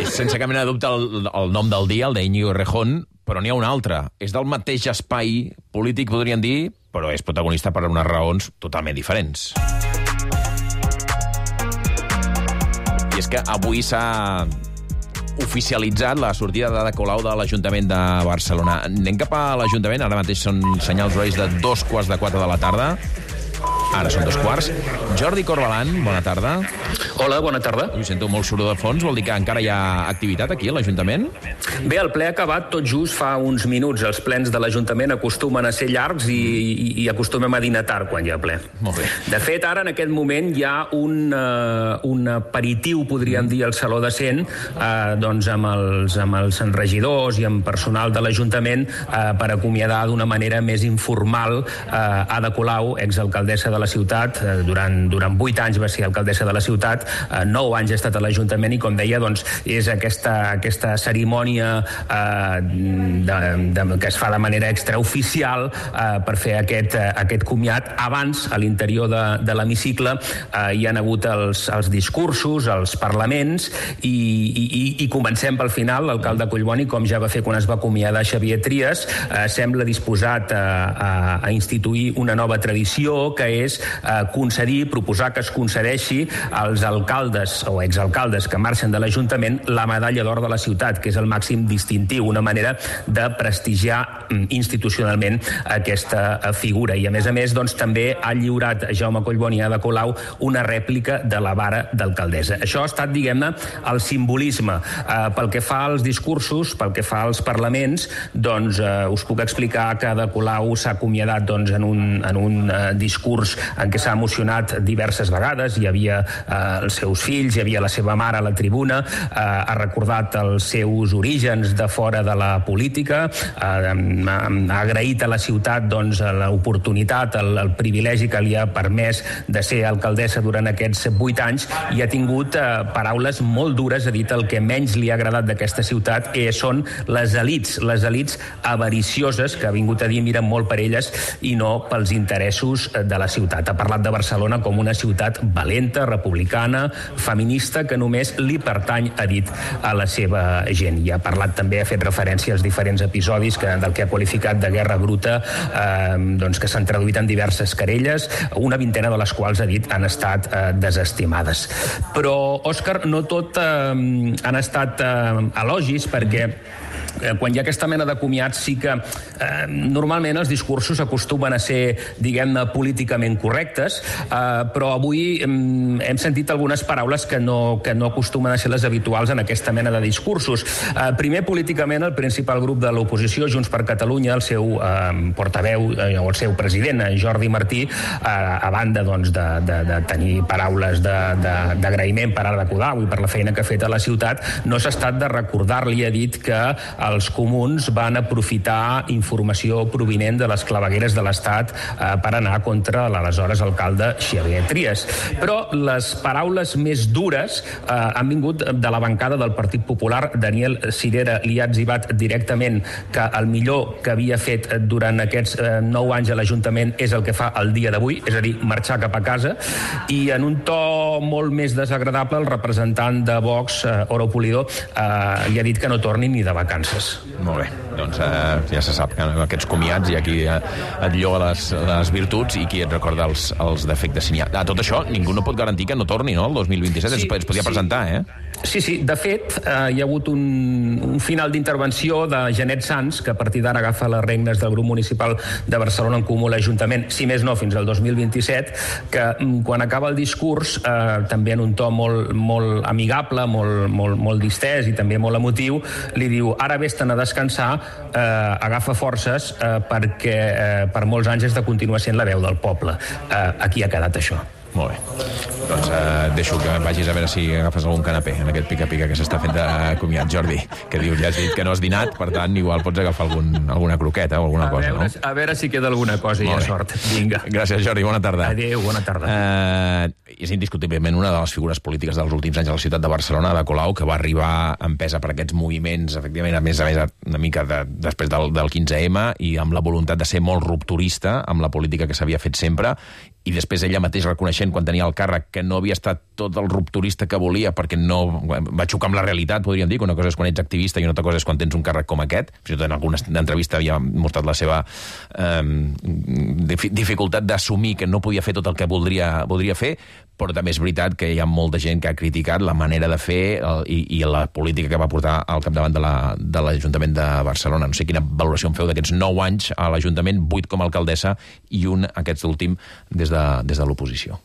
sense cap mena de dubte el nom del dia, el d'Íñigo Errejón, però n'hi ha un altre. És del mateix espai polític, podríem dir, però és protagonista per unes raons totalment diferents. I és que avui s'ha oficialitzat la sortida d'Ada Colau de l'Ajuntament de Barcelona. Anem cap a l'Ajuntament, ara mateix són senyals horaris de 3:45 de la tarda. Ara són 2:15. Jordi Corbalan, bona tarda. Hola, bona tarda. Ui, sento molt soroll de fons, vol dir que encara hi ha activitat aquí a l'Ajuntament? Bé, el ple ha acabat tot just fa uns minuts. Els plens de l'Ajuntament acostumen a ser llargs i acostumem a dinar tard quan hi ha ple. Molt bé. De fet, ara, en aquest moment, hi ha un aperitiu, podríem dir, al Saló de Cent, doncs amb els regidors i amb personal de l'Ajuntament per acomiadar d'una manera més informal Ada Colau, exalcaldessa de la ciutat. Durant 8 anys va ser alcaldessa de la ciutat, 9 anys ha estat a l'Ajuntament i, com deia, doncs, és aquesta cerimònia que es fa de manera extraoficial per fer aquest comiat. Abans, a l'interior de l'hemicicle, hi han hagut els discursos, els parlaments, i comencem pel final. L'alcalde Collboni, com ja va fer quan es va acomiadar Xavier Trias, sembla disposat a instituir una nova tradició, que és proposar que es concedeixi als alcaldes o exalcaldes que marxen de l'Ajuntament la medalla d'or de la ciutat, que és el màxim distintiu, una manera de prestigiar institucionalment aquesta figura. I a més, doncs, també ha lliurat Jaume Collboni a Ada Colau una rèplica de la vara d'alcaldessa. Això ha estat, diguem-ne, el simbolisme. Pel que fa als discursos, pel que fa als parlaments, doncs us puc explicar que Ada Colau s'ha acomiadat en un discurs en què s'ha emocionat diverses vegades. Hi havia els seus fills, hi havia la seva mare a la tribuna, ha recordat els seus orígens de fora de la política, ha agraït a la ciutat l'oportunitat, el privilegi que li ha permès de ser alcaldessa durant aquests 8 anys, i ha tingut paraules molt dures. Ha dit el que menys li ha agradat d'aquesta ciutat són les elits avaricioses, que ha vingut a dir miren molt per elles i no pels interessos de la ciutat. Ha parlat de Barcelona com una ciutat valenta, republicana, feminista, que només li pertany, ha dit, a la seva gent. I ha parlat també, ha fet referència als diferents episodis del que ha qualificat de guerra bruta, que s'han traduït en diverses querelles, una vintena de les quals, ha dit, han estat desestimades. Però, Òscar, no tot han estat elogis, perquè quan hi ha aquesta mena de comiats sí que normalment els discursos acostumen a ser, diguem-ne, políticament correctes, però avui hem sentit algunes paraules que no acostumen a ser les habituals en aquesta mena de discursos. Primer, políticament, el principal grup de l'oposició, Junts per Catalunya, el seu portaveu o el seu president, Jordi Martí, a banda de tenir paraules d'agraïment per Ada Colau i per la feina que ha fet a la ciutat, no s'ha estat de recordar-li, ha dit que els comuns van aprofitar informació provinent de les clavegueres de l'Estat per anar contra l'aleshores alcalde Xavier Trias. Però les paraules més dures han vingut de la bancada del Partit Popular. Daniel Sirera li ha etzibat directament que el millor que havia fet durant aquests 9 anys a l'Ajuntament és el que fa el dia d'avui, és a dir, marxar cap a casa, i en un to molt més desagradable el representant de Vox, Oro Pulido, li ha dit que no torni ni de vacances. Molt bé, doncs ja se sap que aquests comiats hi ha qui et lloga les virtuts i qui et recorda els defectes. A tot això, ningú no pot garantir que no torni, no?, el 2027. Sí, es podia presentar, Sí, de fet, hi ha hagut un final d'intervenció de Janet Sans, que a partir d'ara agafa les regnes del grup municipal de Barcelona en Comú a l'Ajuntament, si més no fins al 2027, que quan acaba el discurs, també en un to molt amigable, molt distès i també molt emotiu, li diu: ara vés-te'n a descansar, agafa forces, perquè per molts anys has de continuar sent la veu del poble. Aquí ha quedat això. Molt bé. Doncs deixo que vagis a veure si agafes algun canapé en aquest pica-pica que s'està fent de comiat. Jordi, que dius, ja has dit que no has dinat, per tant, igual pots agafar alguna croqueta o alguna cosa, no? A veure si queda alguna cosa i ha sort. Vinga. Gràcies, Jordi, bona tarda. Adéu, bona tarda. És indiscutiblement una de les figures polítiques dels últims anys a la ciutat de Barcelona, Ada Colau, que va arribar empesa per aquests moviments, efectivament, a més una mica després del 15M, i amb la voluntat de ser molt rupturista amb la política que s'havia fet sempre, i després ella mateix reconeixent quan tenia el càrrec que no havia estat tot el rupturista que volia perquè no va xocar amb la realitat, podríem dir, que una cosa és quan ets activista i una altra cosa és quan tens un càrrec com aquest. Fins i tot en alguna entrevista havia mostrat la seva dificultat d'assumir que no podia fer tot el que voldria fer, però també és veritat que hi ha molta gent que ha criticat la manera de fer i la política que va portar al capdavant de l'Ajuntament de Barcelona. No sé quina valoració en feu d'aquests 9 anys a l'Ajuntament, 8 com a alcaldessa i un, aquest últim, des de l'oposició.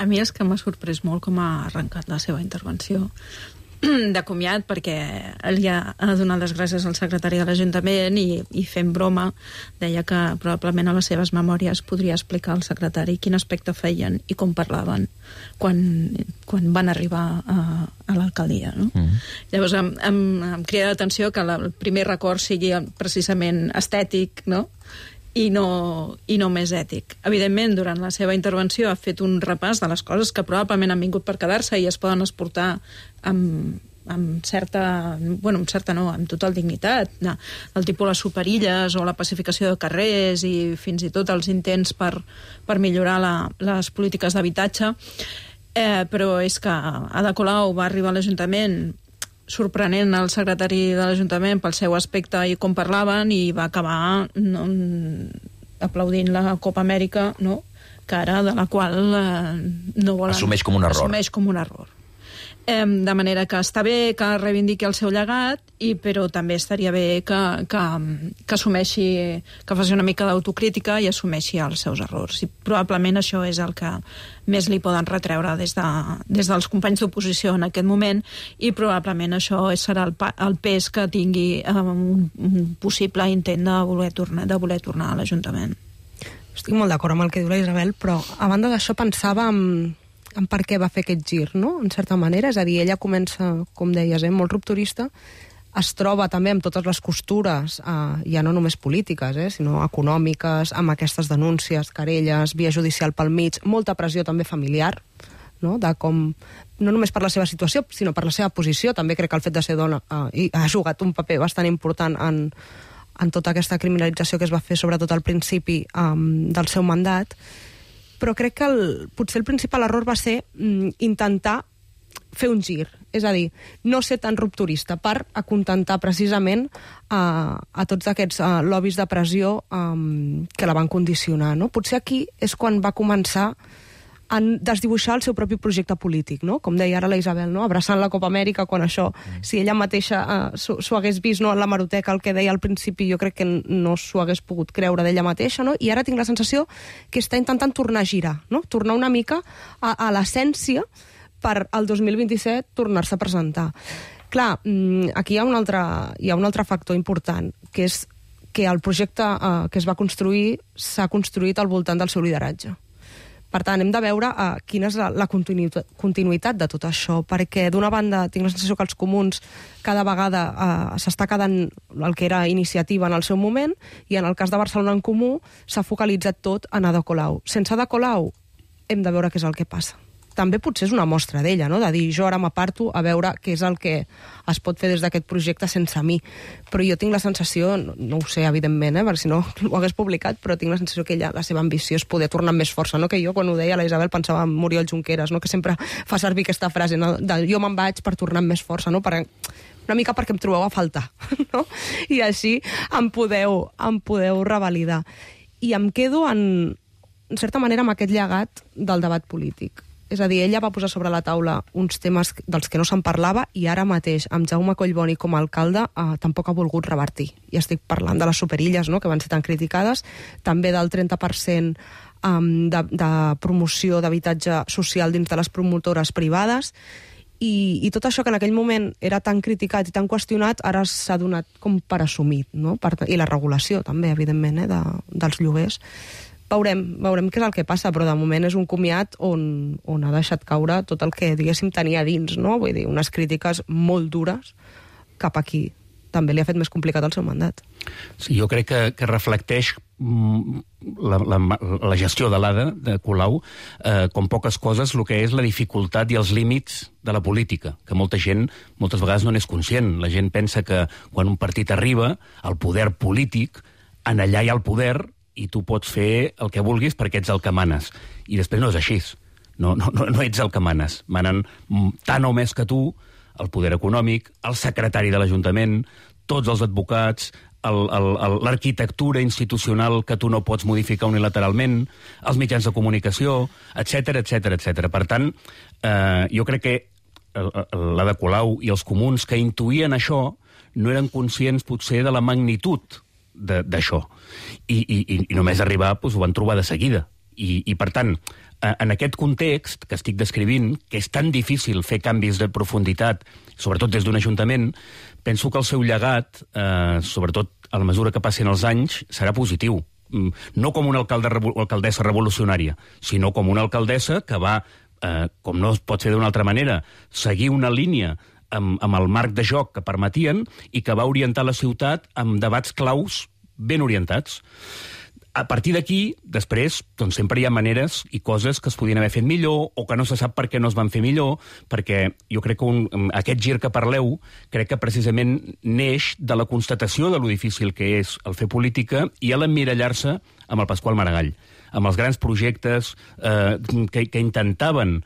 A mi és que m'ha sorprès molt com ha arrencat la seva intervenció de comiat, perquè ell ja ha donat les gràcies al secretari de l'Ajuntament i fent broma deia que probablement a les seves memòries podria explicar al secretari quin aspecte feien i com parlaven quan van arribar a l'alcaldia, no? Llavors em crida l'atenció que el primer record sigui precisament estètic, no? I no més ètic. Evidentment, durant la seva intervenció ha fet un repàs de les coses que probablement han vingut per quedar-se i es poden exportar amb total dignitat. El tipus les superilles o la pacificació de carrers i fins i tot els intents per millorar les polítiques d'habitatge. Però és que Ada Colau va arribar a l'Ajuntament sorprenent el secretari de l'Ajuntament pel seu aspecte i com parlaven, i va acabar aplaudint la Copa Amèrica, no? Que ara de la qual no volen... Assumeix com un error. Assumeix com un error. De manera que està bé que reivindiqui el seu llegat, però també estaria bé que assumeixi, que faci una mica d'autocrítica i assumeixi els seus errors. I probablement això és el que més li poden retreure des dels companys d'oposició en aquest moment, i probablement això serà el pes que tingui un possible intent de voler tornar a l'Ajuntament. Estic molt d'acord amb el que diu la Isabel, però a banda d'això pensava en per què va fer aquest gir, no? En certa manera, és a dir, ella comença, com deies, molt rupturista, es troba també amb totes les costures, ja no només polítiques, sinó econòmiques, amb aquestes denúncies, querelles, via judicial pel mig, molta pressió també familiar, no? De com, no només per la seva situació, sinó per la seva posició. També crec que el fet de ser dona ha jugat un paper bastant important en tota aquesta criminalització que es va fer, sobretot al principi del seu mandat. Però crec que potser el principal error va ser intentar fer un gir, és a dir, no ser tan rupturista per acontentar precisament a tots aquests lobbies de pressió que la van condicionar, no? Potser aquí és quan va començar a desdibuixar el seu propi projecte polític, no? Com deia ara la Isabel, no? Abraçant la Copa Amèrica, quan això, si ella mateixa s'ho hagués vist, no, en la hemeroteca, el que deia al principi, jo crec que no s'ho hagués pogut creure d'ella mateixa, no? I ara tinc la sensació que està intentant tornar a girar, no? Tornar una mica a l'essència per al 2027 tornar-se a presentar. Clar, aquí hi ha un altre factor important, que és que el projecte que es va construir s'ha construït al voltant del seu lideratge. Per tant, hem de veure quina és la continuïtat de tot això, perquè d'una banda tinc la sensació que els comuns cada vegada s'està quedant el que era iniciativa en el seu moment, i en el cas de Barcelona en Comú s'ha focalitzat tot en Ada Colau. Sense Ada Colau hem de veure què és el que passa. També potser és una mostra d'ella, no? De dir, jo ara m'aparto a veure què és el que es pot fer des d'aquest projecte sense mi. Però jo tinc la sensació, no ho sé, evidentment, perquè si no ho hagués publicat, però tinc la sensació que ella, la seva ambició és poder tornar amb més força, no? Que jo, quan ho deia la Isabel, pensava en Muriel Junqueras, no? Que sempre fa servir aquesta frase, no? De jo me'n vaig per tornar amb més força, no? Una mica perquè em trobeu a faltar, no? I així em podeu revalidar. I em quedo, en certa manera, amb aquest llegat del debat polític. És a dir, ella va posar sobre la taula uns temes dels que no se'n parlava, i ara mateix, amb Jaume Collboni com a alcalde, tampoc ha volgut revertir. I estic parlant de les superilles, no?, que van ser tan criticades, també del 30% de promoció d'habitatge social dins de les promotores privades, i tot això que en aquell moment era tan criticat i tan qüestionat, ara s'ha donat com per assumit, no? I la regulació també, evidentment, dels lloguers. Veurem què és el que passa, però de moment és un comiat on ha deixat caure tot el que, diguéssim, tenia dins, no? Vull dir, unes crítiques molt dures cap a qui també li ha fet més complicat el seu mandat. Sí, jo crec que reflecteix la gestió de l'Ada, de Colau, com poques coses, el que és la dificultat i els límits de la política, que molta gent moltes vegades no n'és conscient. La gent pensa que quan un partit arriba al poder polític, en allà hi ha el poder i tu pots fer el que vulguis perquè ets el que manes. I després no és així. No ets el que manes. Manen tant o més que tu el poder econòmic, el secretari de l'Ajuntament, tots els advocats, l'arquitectura institucional que tu no pots modificar unilateralment, els mitjans de comunicació, etc. Per tant, jo crec que l'Ada Colau i els comuns que intuïen això no eren conscients potser de la magnitud d'això. I només arribar ho van trobar de seguida. I per tant, en aquest context que estic descrivint, que és tan difícil fer canvis de profunditat, sobretot des d'un ajuntament, penso que el seu llegat, sobretot a la mesura que passin els anys, serà positiu. No com una alcaldessa revolucionària, sinó com una alcaldessa que va, com no es pot fer d'una altra manera, seguir una línia amb el marc de joc que permetien i que va orientar la ciutat amb debats claus ben orientats. A partir d'aquí, després, doncs sempre hi ha maneres i coses que es podien haver fet millor o que no se sap per què no es van fer millor, perquè jo crec que aquest gir que parleu crec que precisament neix de la constatació de lo difícil que és el fer política i a l'emmirallar-se amb el Pasqual Maragall, amb els grans projectes que intentaven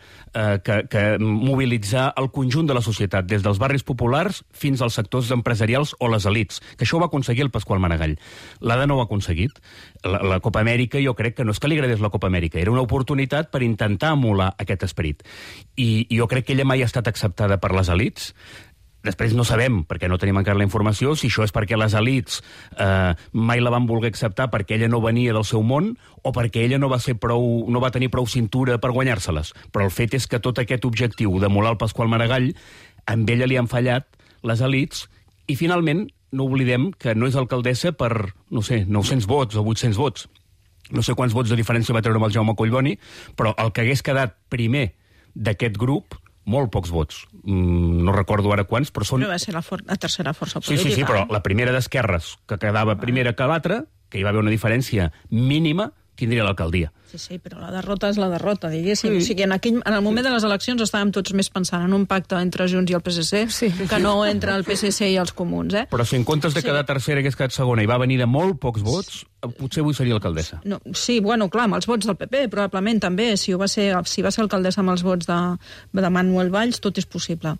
mobilitzar el conjunt de la societat, des dels barris populars fins als sectors empresarials o les elits, que això ho va aconseguir el Pasqual Maragall. L'Ada no ho ha aconseguit. La Copa Amèrica, jo crec que no és que li agradés la Copa Amèrica, era una oportunitat per intentar emular aquest esperit. I jo crec que ella mai ha estat acceptada per les elits. Després no sabem, perquè no tenim encara la informació, si això és perquè les elits mai la van voler acceptar perquè ella no venia del seu món o perquè ella no va tenir prou cintura per guanyar-se-les. Però el fet és que tot aquest objectiu d'emular el Pasqual Maragall, amb ella li han fallat les elits i finalment no oblidem que no és alcaldessa per, no sé, 900 vots o 800 vots. No sé quants vots de diferència va treure amb el Jaume Collboni, però el que hagués quedat primer d'aquest grup, molt pocs vots. No recordo ara quants, però són... Però va ser la tercera força política. Sí, però la primera d'Esquerres, que quedava primera que l'altra, que hi va haver una diferència mínima, tindria l'alcaldia. Sí, però la derrota és la derrota, diguéssim. O sigui, en el moment de les eleccions estàvem tots més pensant en un pacte entre Junts i el PSC que no entre el PSC i els comuns, eh? Però si en comptes de quedar tercera hagués quedat segona i va venir de molt pocs vots, potser avui seria alcaldessa. No, sí, bueno, clar, amb els vots del PP, probablement també. Si va ser alcaldessa amb els vots de Manuel Valls, tot és possible.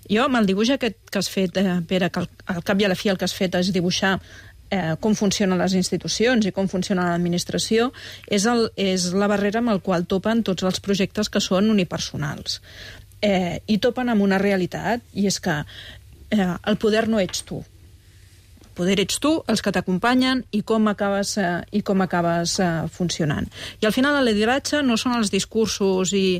Jo, amb el dibuix aquest que has fet, Pere, que al cap i a la fi el que has fet és dibuixar com funcionen les institucions i com funciona l'administració, és la barrera amb la qual topen tots els projectes que són unipersonals. I topen amb una realitat, i és que el poder no ets tu. El poder ets tu, els que t'acompanyen i com acabes funcionant. I al final el lideratge no són els discursos i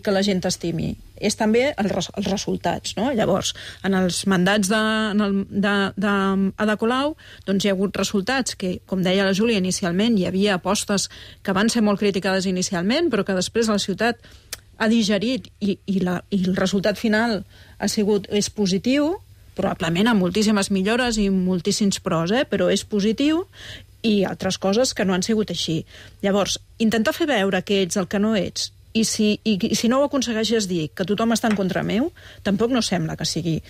que la gent t'estimi, és també els resultats, no? Llavors, en els mandats d'Ada Colau, doncs hi ha hagut resultats que, com deia la Júlia inicialment, hi havia apostes que van ser molt criticades inicialment, però que després la ciutat ha digerit i el resultat final és positiu, probablement amb moltíssimes millores i moltíssims pros, però és positiu, i altres coses que no han sigut així. Llavors, intentar fer veure que ets el que no ets, i si no ho aconsegueixes dir que tothom està en contra meu, tampoc no sembla que sigui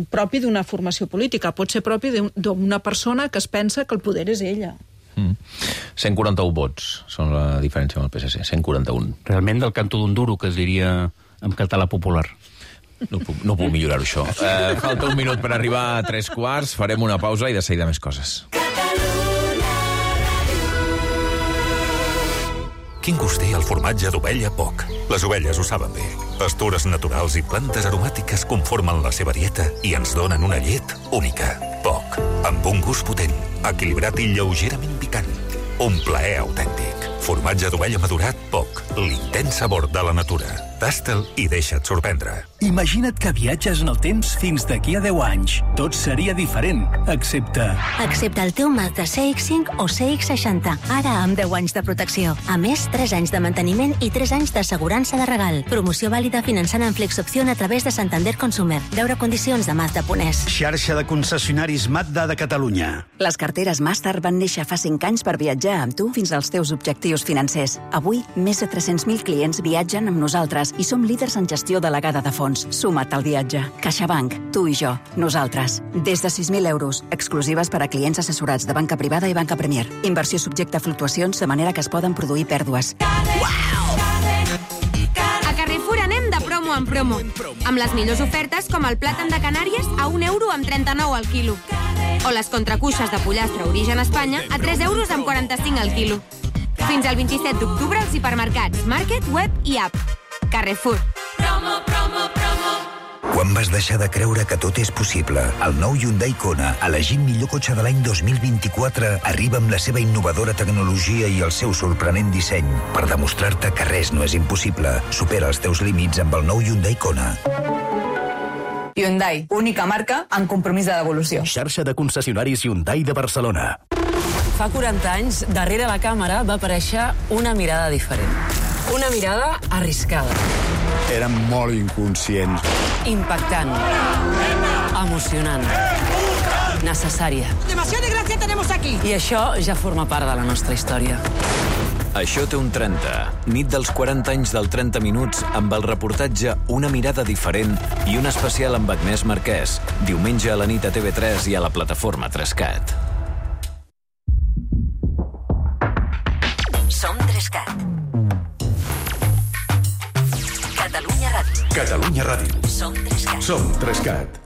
propi d'una formació política. Pot ser propi d'una persona que es pensa que el poder és ella. 141 vots són la diferència amb el PSC, 141. Realment del canto d'un duro, que es diria en català popular. No puc millorar-ho, això. Falta un minut per arribar a 3:15, farem una pausa i de seguida més coses. Quin gust té el formatge d'ovella Poc? Les ovelles ho saben bé. Pastures naturals i plantes aromàtiques conformen la seva dieta i ens donen una llet única. Poc, amb un gust potent, equilibrat i lleugerament picant. Un plaer autèntic. Formatge d'ovella madurat, poc. L'intens sabor de la natura. Tasta'l i deixa't sorprendre. Imagina't que viatges en el temps fins d'aquí a 10 anys. Tot seria diferent, excepte el teu Mazda CX-5 o CX-60. Ara amb 10 anys de protecció. A més, 3 anys de manteniment i 3 anys d'assegurança de regal. Promoció vàlida finançant en Flexopció a través de Santander Consumer. Veure condicions de Mazda.es. Xarxa de concessionaris Mazda de Catalunya. Les carteres Master van néixer fa 5 anys per viatjar amb tu fins als teus objectius financers. Avui, més de 300.000 clients viatgen amb nosaltres i som líders en gestió delegada de fons. Suma't al viatge. CaixaBank, tu i jo, nosaltres. Des de 6.000 euros, exclusives per a clients assessorats de banca privada i banca Premier. Inversió subjecta a fluctuacions de manera que es poden produir pèrdues. A Carrefour anem de promo en promo, amb les millors ofertes com el plàtan de Canàries a 1 euro amb 39 al quilo. O les contracuixes de pollastre origen Espanya a 3 euros amb 45 al quilo. Fins al 27 d'octubre als hipermercats, Market, Web i App. Carrefour. Promo, promo, promo. Quan vas deixar de creure que tot és possible? El nou Hyundai Kona, elegit millor cotxe de l'any 2024, arriba amb la seva innovadora tecnologia i el seu sorprenent disseny per demostrar-te que res no és impossible. Supera els teus límits amb el nou Hyundai Kona. Hyundai, única marca amb compromís de devolució. Xarxa de concessionaris Hyundai de Barcelona. Fa 40 anys, darrere la càmera va aparèixer una mirada diferent. Una mirada arriscada. Érem molt inconscients. Impactant. Emocionant. Necessària. Demasiada gràcia tenemos aquí. I això ja forma part de la nostra història. Això té un 30. Nit dels 40 anys del 30 minuts amb el reportatge Una mirada diferent i un especial amb Agnès Marquès. Diumenge a la nit a TV3 i a la plataforma 3CAT. Som 3CAT. Catalunya Ràdio. Catalunya Ràdio. Som 3CAT. Som 3CAT.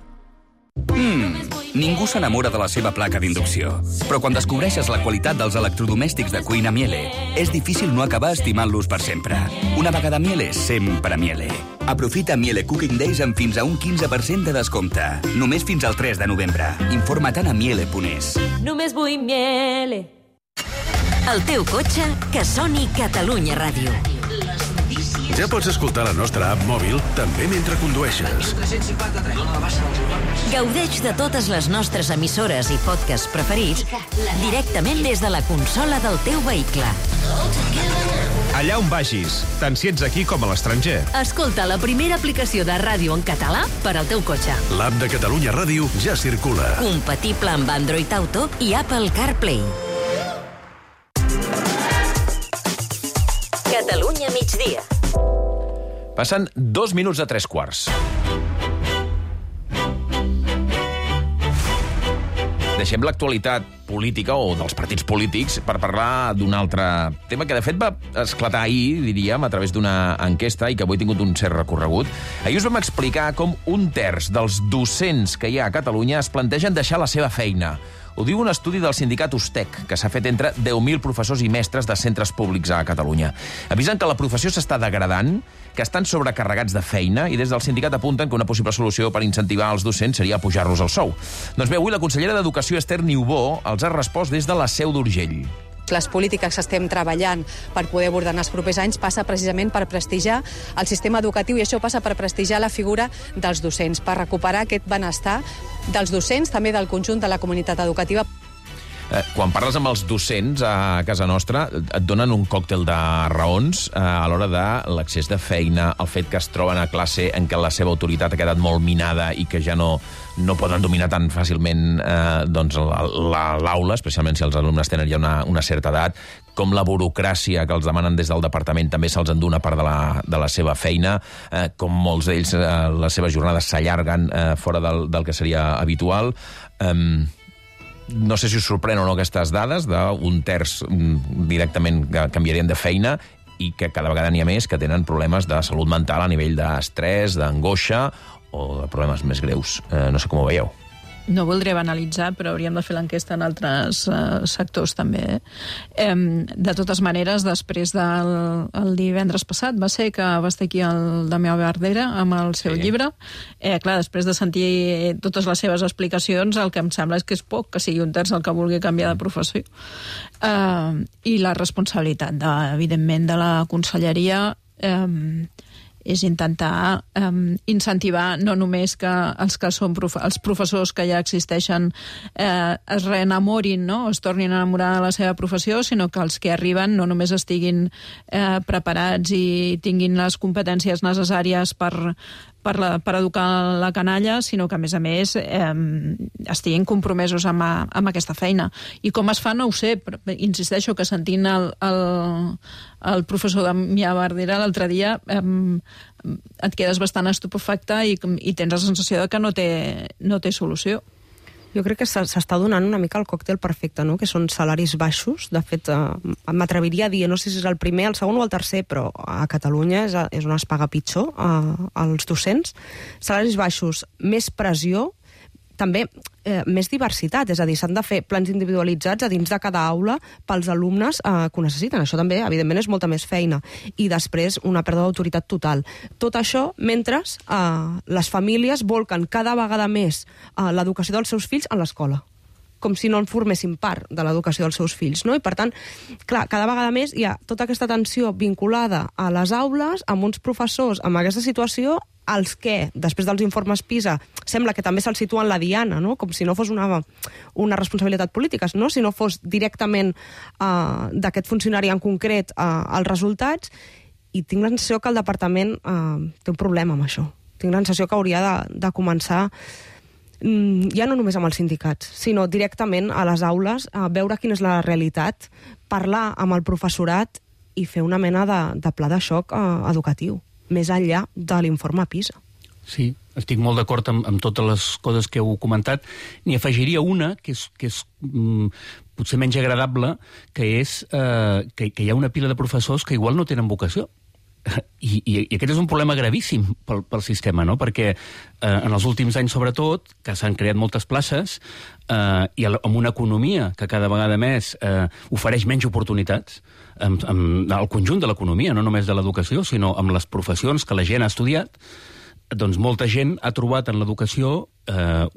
Ningú s'enamora de la seva placa d'inducció. Però quan descobreixes la qualitat dels electrodomèstics de cuina Miele, és difícil no acabar estimant-los per sempre. Una vegada Miele, sempre Miele. Aprofita Miele Cooking Days amb fins a un 15% de descompte. Només fins al 3 de novembre. Informa't a miele.es. Només vull Miele. El teu cotxe, que soni Catalunya Ràdio. Ja pots escoltar la nostra app mòbil també mentre condueixes. Gaudeix de totes les nostres emissores i podcasts preferits directament des de la consola del teu vehicle. Allà on vagis, tant si ets aquí com a l'estranger. Escolta la primera aplicació de ràdio en català per al teu cotxe. L'app de Catalunya Ràdio ja circula. Compatible amb Android Auto i Apple CarPlay. Catalunya migdia. Passen 2 minuts de 3 quarts. Deixem l'actualitat política o dels partits polítics per parlar d'un altre tema que, de fet, va esclatar ahir, diríem, a través d'una enquesta i que avui ha tingut un cert recorregut. Ahir us vam explicar com 1/3 dels docents que hi ha a Catalunya es plantegen deixar la seva feina. Ho diu un estudi del sindicat USTEC, que s'ha fet entre 10.000 professors i mestres de centres públics a Catalunya. Avisen que la professió s'està degradant, que estan sobrecarregats de feina i des del sindicat apunten que una possible solució per incentivar els docents seria pujar-los el sou. Doncs bé, avui la consellera d'Educació, Esther Niubó, els ha respost des de la Seu d'Urgell. Les polítiques que estem treballant per poder abordar en els propers anys passa precisament per prestigiar el sistema educatiu i això passa per prestigiar la figura dels docents, per recuperar aquest benestar dels docents, també del conjunt de la comunitat educativa. Quan parles amb els docents a casa nostra, et donen un còctel de raons a l'hora de l'accés de feina, el fet que es troben a classe en què la seva autoritat ha quedat molt minada i que ja no poden dominar tan fàcilment l'aula, especialment si els alumnes tenen ja una certa edat, com la burocràcia que els demanen des del departament també se'ls endú una part de la seva feina, com molts d'ells les seves jornades s'allarguen fora del que seria habitual. No sé si us sorprèn o no aquestes dades d'un terç directament que canviarien de feina i que cada vegada n'hi ha més que tenen problemes de salut mental a nivell d'estrès, d'angoixa o de problemes més greus. No sé com ho veieu. no voldré banalitzar, però hauríem de fer l'enquesta en altres sectors també. De totes maneres, després del divendres passat va ser que va estar aquí el Damià Bardera amb el seu llibre. Clar, després de sentir totes les seves explicacions, el que em sembla és que és poc que sigui un terç el que vulgui canviar de professió. I la responsabilitat, evidentment, de la conselleria és intentar incentivar no només que els professors que ja existeixen es reenamorin, no? Es tornin a enamorar de la seva professió, sinó que els que arriben no només estiguin preparats i tinguin les competències necessàries per educar la canalla, sinó que, a més, estiguin compromesos amb aquesta feina. I com es fa, no ho sé, però insisteixo que sentint el professor Damià Bardera l'altre dia et quedes bastant estupefacte i tens la sensació de que no té solució. Jo crec que s'està donant una mica el còctel perfecte, no? Que són salaris baixos. De fet, m'atreviria a dir, no sé si és el primer, el segon o el tercer, però a Catalunya és on es paga pitjor als docents. Salaris baixos, més pressió, també més diversitat, és a dir, s'han de fer plans individualitzats a dins de cada aula pels alumnes que ho necessiten. Això també, evidentment, és molta més feina. I després una pèrdua d'autoritat total. Tot això mentre les famílies volquen cada vegada més l'educació dels seus fills en l'escola, com si no en formessin part de l'educació dels seus fills, no? I, per tant, clar, cada vegada més hi ha tota aquesta tensió vinculada a les aules, amb uns professors amb aquesta situació, als que, després dels informes PISA, sembla que també se'ls situa en la diana, no? Com si no fos una responsabilitat política, no? Si no fos directament d'aquest funcionari en concret els resultats, i tinc la sensació que el departament té un problema amb això. Tinc la sensació que hauria de començar ja no només amb els sindicats, sinó directament a les aules, a veure quina és la realitat, parlar amb el professorat i fer una mena de pla de xoc educatiu, més enllà de l'informe PISA. Sí, estic molt d'acord amb totes les coses que heu comentat. N'hi afegiria una, que és potser menys agradable, que és que hi ha una pila de professors que igual no tenen vocació. I aquest és un problema gravíssim pel sistema, no? Perquè en els últims anys, sobretot, que s'han creat moltes places i amb una economia que cada vegada més ofereix menys oportunitats, al conjunt de l'economia, no només de l'educació, sinó amb les professions que la gent ha estudiat, doncs molta gent ha trobat en l'educació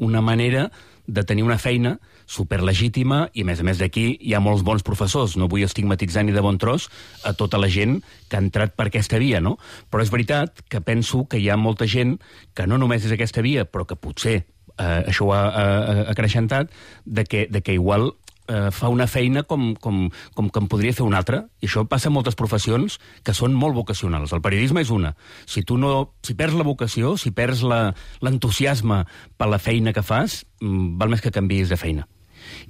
una manera de tenir una feina superlegítima i, a més d'aquí, hi ha molts bons professors. No vull estigmatitzar ni de bon tros a tota la gent que ha entrat per aquesta via, no? Però és veritat que penso que hi ha molta gent que no només és aquesta via, però que potser això ho ha acreixentat, de que igual fa una feina com que en podria fer una altra, i això passa en moltes professions que són molt vocacionals. El periodisme és una. Si perds la vocació, si perds l'entusiasme per la feina que fas, val més que canviïs de feina.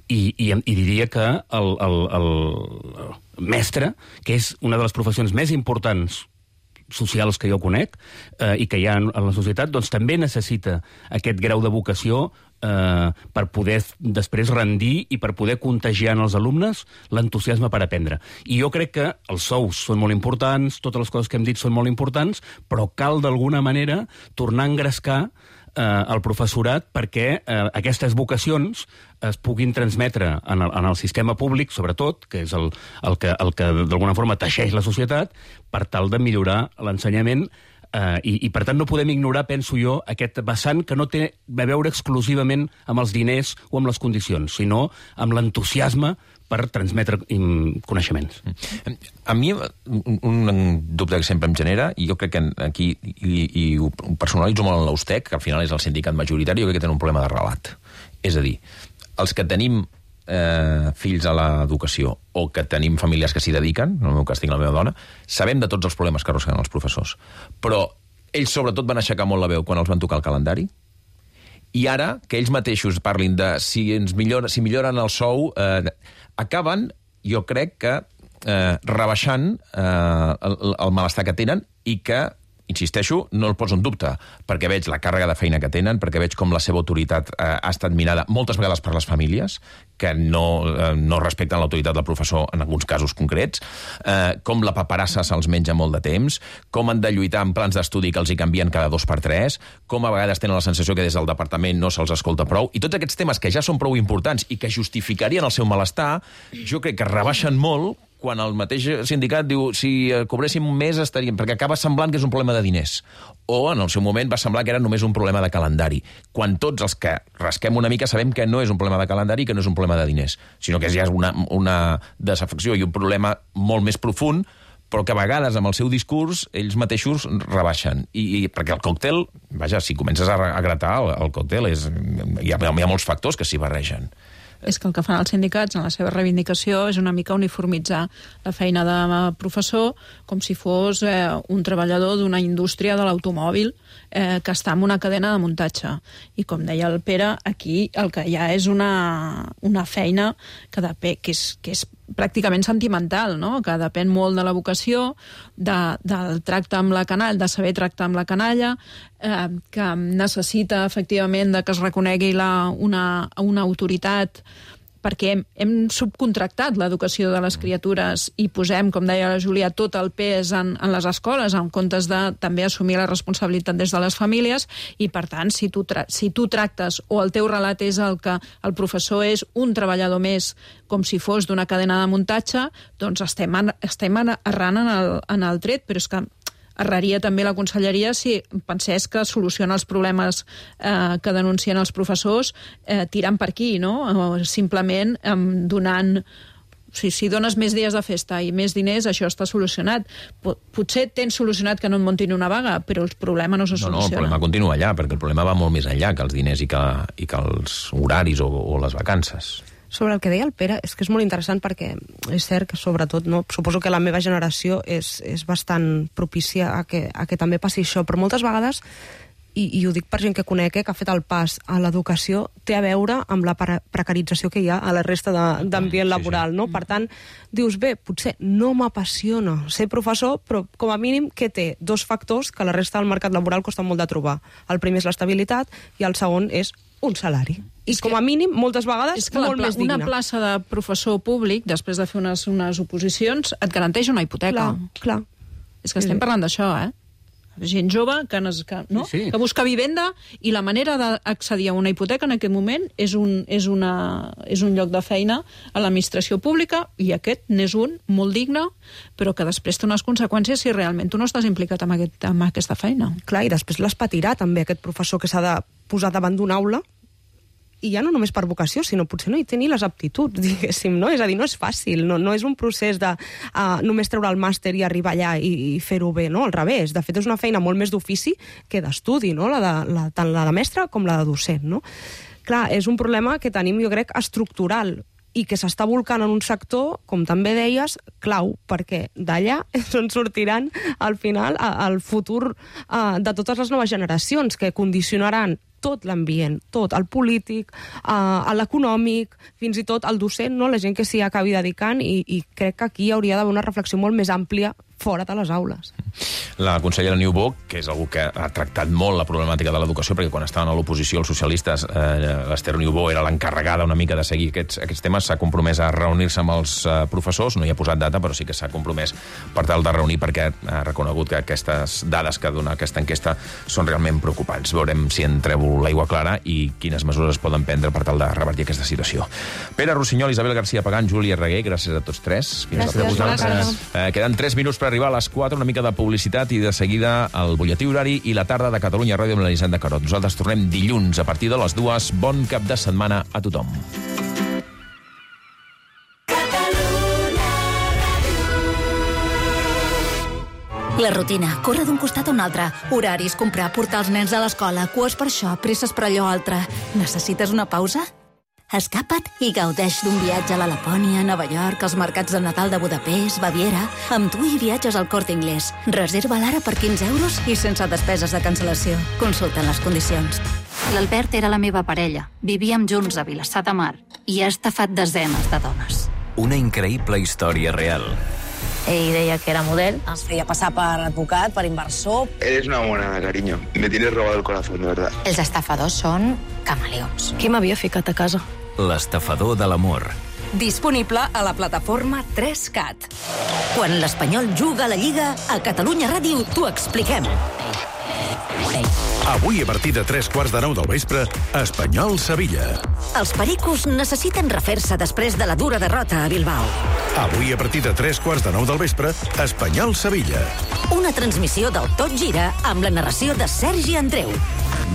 I diria que el mestre, que és una de les professions més importants socials que jo conec i que hi ha en la societat, doncs també necessita aquest grau de vocació per poder després rendir i per poder contagiar en els alumnes l'entusiasme per aprendre. I jo crec que els sous són molt importants, totes les coses que hem dit són molt importants, però cal d'alguna manera tornar a engrescar el professorat perquè aquestes vocacions es puguin transmetre en el sistema públic, sobretot, que és el que d'alguna forma teixeix la societat, per tal de millorar l'ensenyament. I per tant no podem ignorar, penso jo, aquest vessant que no té a veure exclusivament amb els diners o amb les condicions, sinó amb l'entusiasme per transmetre coneixements. A mi un dubte que sempre em genera, i jo crec que aquí i ho personalitzo molt en l'Austec, que al final és el sindicat majoritari, jo crec que tenen un problema de relat. És a dir, els que tenim fills a l'educació o que tenim famílies que s'hi dediquen, en el meu cas tinc la meva dona, sabem de tots els problemes que arrosseguen els professors. Però ells sobretot van aixecar molt la veu quan els van tocar el calendari, i ara que ells mateixos parlin de si milloren el sou, acaben, jo crec que rebaixant el malestar que tenen i que insisteixo, no el poso en dubte, perquè veig la càrrega de feina que tenen, perquè veig com la seva autoritat ha estat minada moltes vegades per les famílies, que no respecten l'autoritat del professor en alguns casos concrets, com la paperassa se'ls menja molt de temps, com han de lluitar en plans d'estudi que els hi canvien cada 2x3, com a vegades tenen la sensació que des del departament no se'ls escolta prou, i tots aquests temes que ja són prou importants i que justificarien el seu malestar, jo crec que rebaixen molt quan el mateix sindicat diu si cobréssim més estaríem... perquè acaba semblant que és un problema de diners. O en el seu moment va semblar que era només un problema de calendari. Quan tots els que rasquem una mica sabem que no és un problema de calendari i que no és un problema de diners, sinó que ja és una desafecció i un problema molt més profund, però que a vegades amb el seu discurs ells mateixos rebaixen. I perquè el còctel, vaja, si comences a gratar el còctel, hi ha molts factors que s'hi barregen. És que el que fan els sindicats en la seva reivindicació és una mica uniformitzar la feina de professor com si fos un treballador d'una indústria de l'automòbil que està en una cadena de muntatge. I com deia el Pere, aquí el que hi ha és una feina que és pràcticament sentimental, no? Que depèn molt de la vocació, del tracte amb la canalla, de saber tractar amb la canalla, que necessita efectivament que es reconegui una autoritat, perquè hem subcontractat l'educació de les criatures i posem, com deia la Júlia, tot el pes en les escoles, en comptes de també assumir la responsabilitat des de les famílies, i per tant, si tu tractes o el teu relat és el que el professor és un treballador més com si fos d'una cadena de muntatge, doncs estem errant en el tret, però és que erraria també la conselleria si pensés que soluciona els problemes que denuncien els professors tirant per aquí, no? O simplement donant... Si dones més dies de festa i més diners, això està solucionat. Potser tens solucionat que no et muntin una vaga, però el problema no se soluciona. No, el problema continua allà, perquè el problema va molt més enllà que els diners i que els horaris o les vacances. Sobre el que deia el Pere, és que és molt interessant perquè és cert que sobretot, no, suposo que la meva generació és bastant propícia a que també passi això, però moltes vegades, i ho dic per gent que conec, que ha fet el pas a l'educació, té a veure amb la precarització que hi ha a la resta d'ambient laboral, no? Per tant, dius, bé, potser no m'apassiona ser professor, però com a mínim que té dos factors que la resta del mercat laboral costa molt de trobar. El primer és l'estabilitat i el segon és un salari. I com a mínim, moltes vegades, molt més digne. Una plaça de professor públic, després de fer unes oposicions, et garanteix una hipoteca. Clar. És que estem parlant d'això, gent jove que busca vivenda, i la manera d'accedir a una hipoteca en aquest moment és un lloc de feina a l'administració pública, i aquest n'és un molt digne, però que després té unes conseqüències si realment tu no estàs implicat en aquesta feina. Clar, i després les patirà també aquest professor que s'ha de posar davant d'una aula, i ja no només per vocació, sinó potser no hi té ni les aptituds, diguéssim, no? És a dir, no és fàcil, no és un procés de només treure el màster i arribar allà i fer-ho bé, no? Al revés, de fet és una feina molt més d'ofici que d'estudi, no? Tant la de mestre com la de docent, no? Clar, és un problema que tenim, jo crec, estructural, i que s'està volcant en un sector, com també deies, clau, perquè d'allà és on sortiran, al final, el futur de totes les noves generacions, que condicionaran tot l'ambient, tot, el polític, l'econòmic, fins i tot el docent, no? La gent que s'hi acabi dedicant, i crec que aquí hauria d'haver una reflexió molt més àmplia fora de les aules. La consellera Niubó, que és algú que ha tractat molt la problemàtica de l'educació, perquè quan estaven a l'oposició els socialistes, l'Ester Niubó era l'encarregada una mica de seguir aquests temes, s'ha compromès a reunir-se amb els professors, no hi ha posat data, però sí que s'ha compromès per tal de reunir, perquè ha reconegut que aquestes dades que dona aquesta enquesta són realment preocupants. Veurem si en treu l'aigua clara i quines mesures es poden prendre per tal de revertir aquesta situació. Pere Rossinyol, Isabel García Pagán, Júlia Reguer, gràcies a tots tres. Gràcies. Queden 3 minuts per arribar a les 4, una mica de publicitat i de seguida el butlletí horari i la tarda de Catalunya Ràdio amb l'Elisenda Carot. Nosaltres tornem dilluns a partir de les 2. Bon cap de setmana a tothom. La rutina, córrer d'un costat a un altre, horaris, comprar, portar els nens a l'escola, cues per això, presses per allò altre. Necessites una pausa? Escapa't i gaudeix d'un viatge a la Lapònia, Nova York, als mercats de Nadal de Budapest, Baviera. Amb tu hi viatges al Corte Inglés. Reserva l'ara per 15 euros i sense despeses de cancel·lació. Consulta les condicions. L'Albert era la meva parella. Vivíem junts a Vilassar de Mar i ha estafat desenes de dones. Una increïble història real. Ell deia que era model. Es feia passar per advocat, per inversor. Eres una monada, cariño. Me tienes robado el corazón, de verdad. Els estafadors són camaleons. Qui m'havia ficat a casa? L'estafador de l'amor. Disponible a la plataforma 3CAT. Quan l'Espanyol juga a la Lliga, a Catalunya Ràdio t'ho expliquem. Avui, a partir de 9:15 del vespre, Espanyol-Sevilla. Els pericos necessiten refer-se després de la dura derrota a Bilbao. Avui, a partir de 9:15 del vespre, Espanyol-Sevilla. Una transmissió del Tot Gira amb la narració de Sergi Andreu.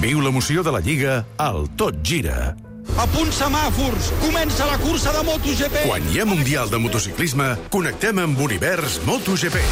Viu l'emoció de la Lliga al Tot Gira. A punts semàfors, comença la cursa de MotoGP. Quan hi ha Mundial de Motociclisme, connectem amb Univers MotoGP.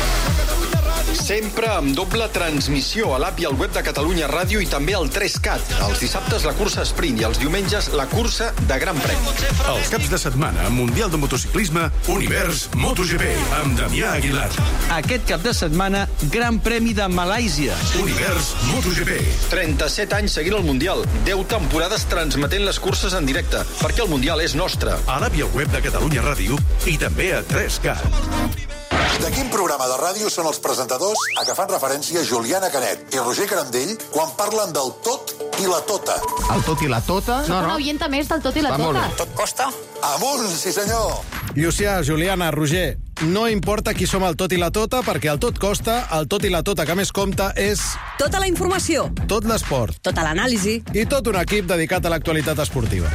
Sempre amb doble transmissió a l'app i al web de Catalunya Ràdio i també al 3CAT. Els dissabtes la cursa sprint i els diumenges la cursa de Gran Premi. Els caps de setmana, Mundial de Motociclisme, Univers MotoGP, amb Damià Aguilar. Aquest cap de setmana, Gran Premi de Malàisia. Univers MotoGP. 37 anys seguint el Mundial, 10 temporades transmetent les curses en directe, perquè el Mundial és nostre. A l'app i al web de Catalunya Ràdio i també a 3CAT. De quin programa de ràdio són els presentadors a què fan referència Juliana Canet i Roger Carandell quan parlen del tot i la tota? El tot i la tota? Soc una oienta més del tot i la tota. Tot costa? Amunt, sí senyor! Llucià, Juliana, Roger, no importa qui som el tot i la tota, perquè el tot costa, el tot i la tota que més compta és... Tota la informació. Tot l'esport. Tota l'anàlisi. I tot un equip dedicat a l'actualitat esportiva.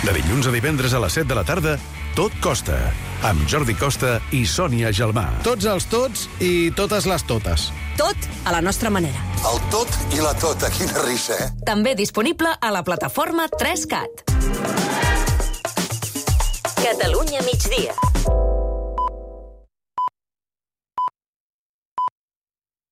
De dilluns a divendres a les 7 de la tarda, Tot costa, amb Jordi Costa i Sònia Gelmà. Tots els tots i totes les totes. Tot a la nostra manera. El tot i la tota, quina risa, eh? També disponible a la plataforma 3CAT. Catalunya migdia.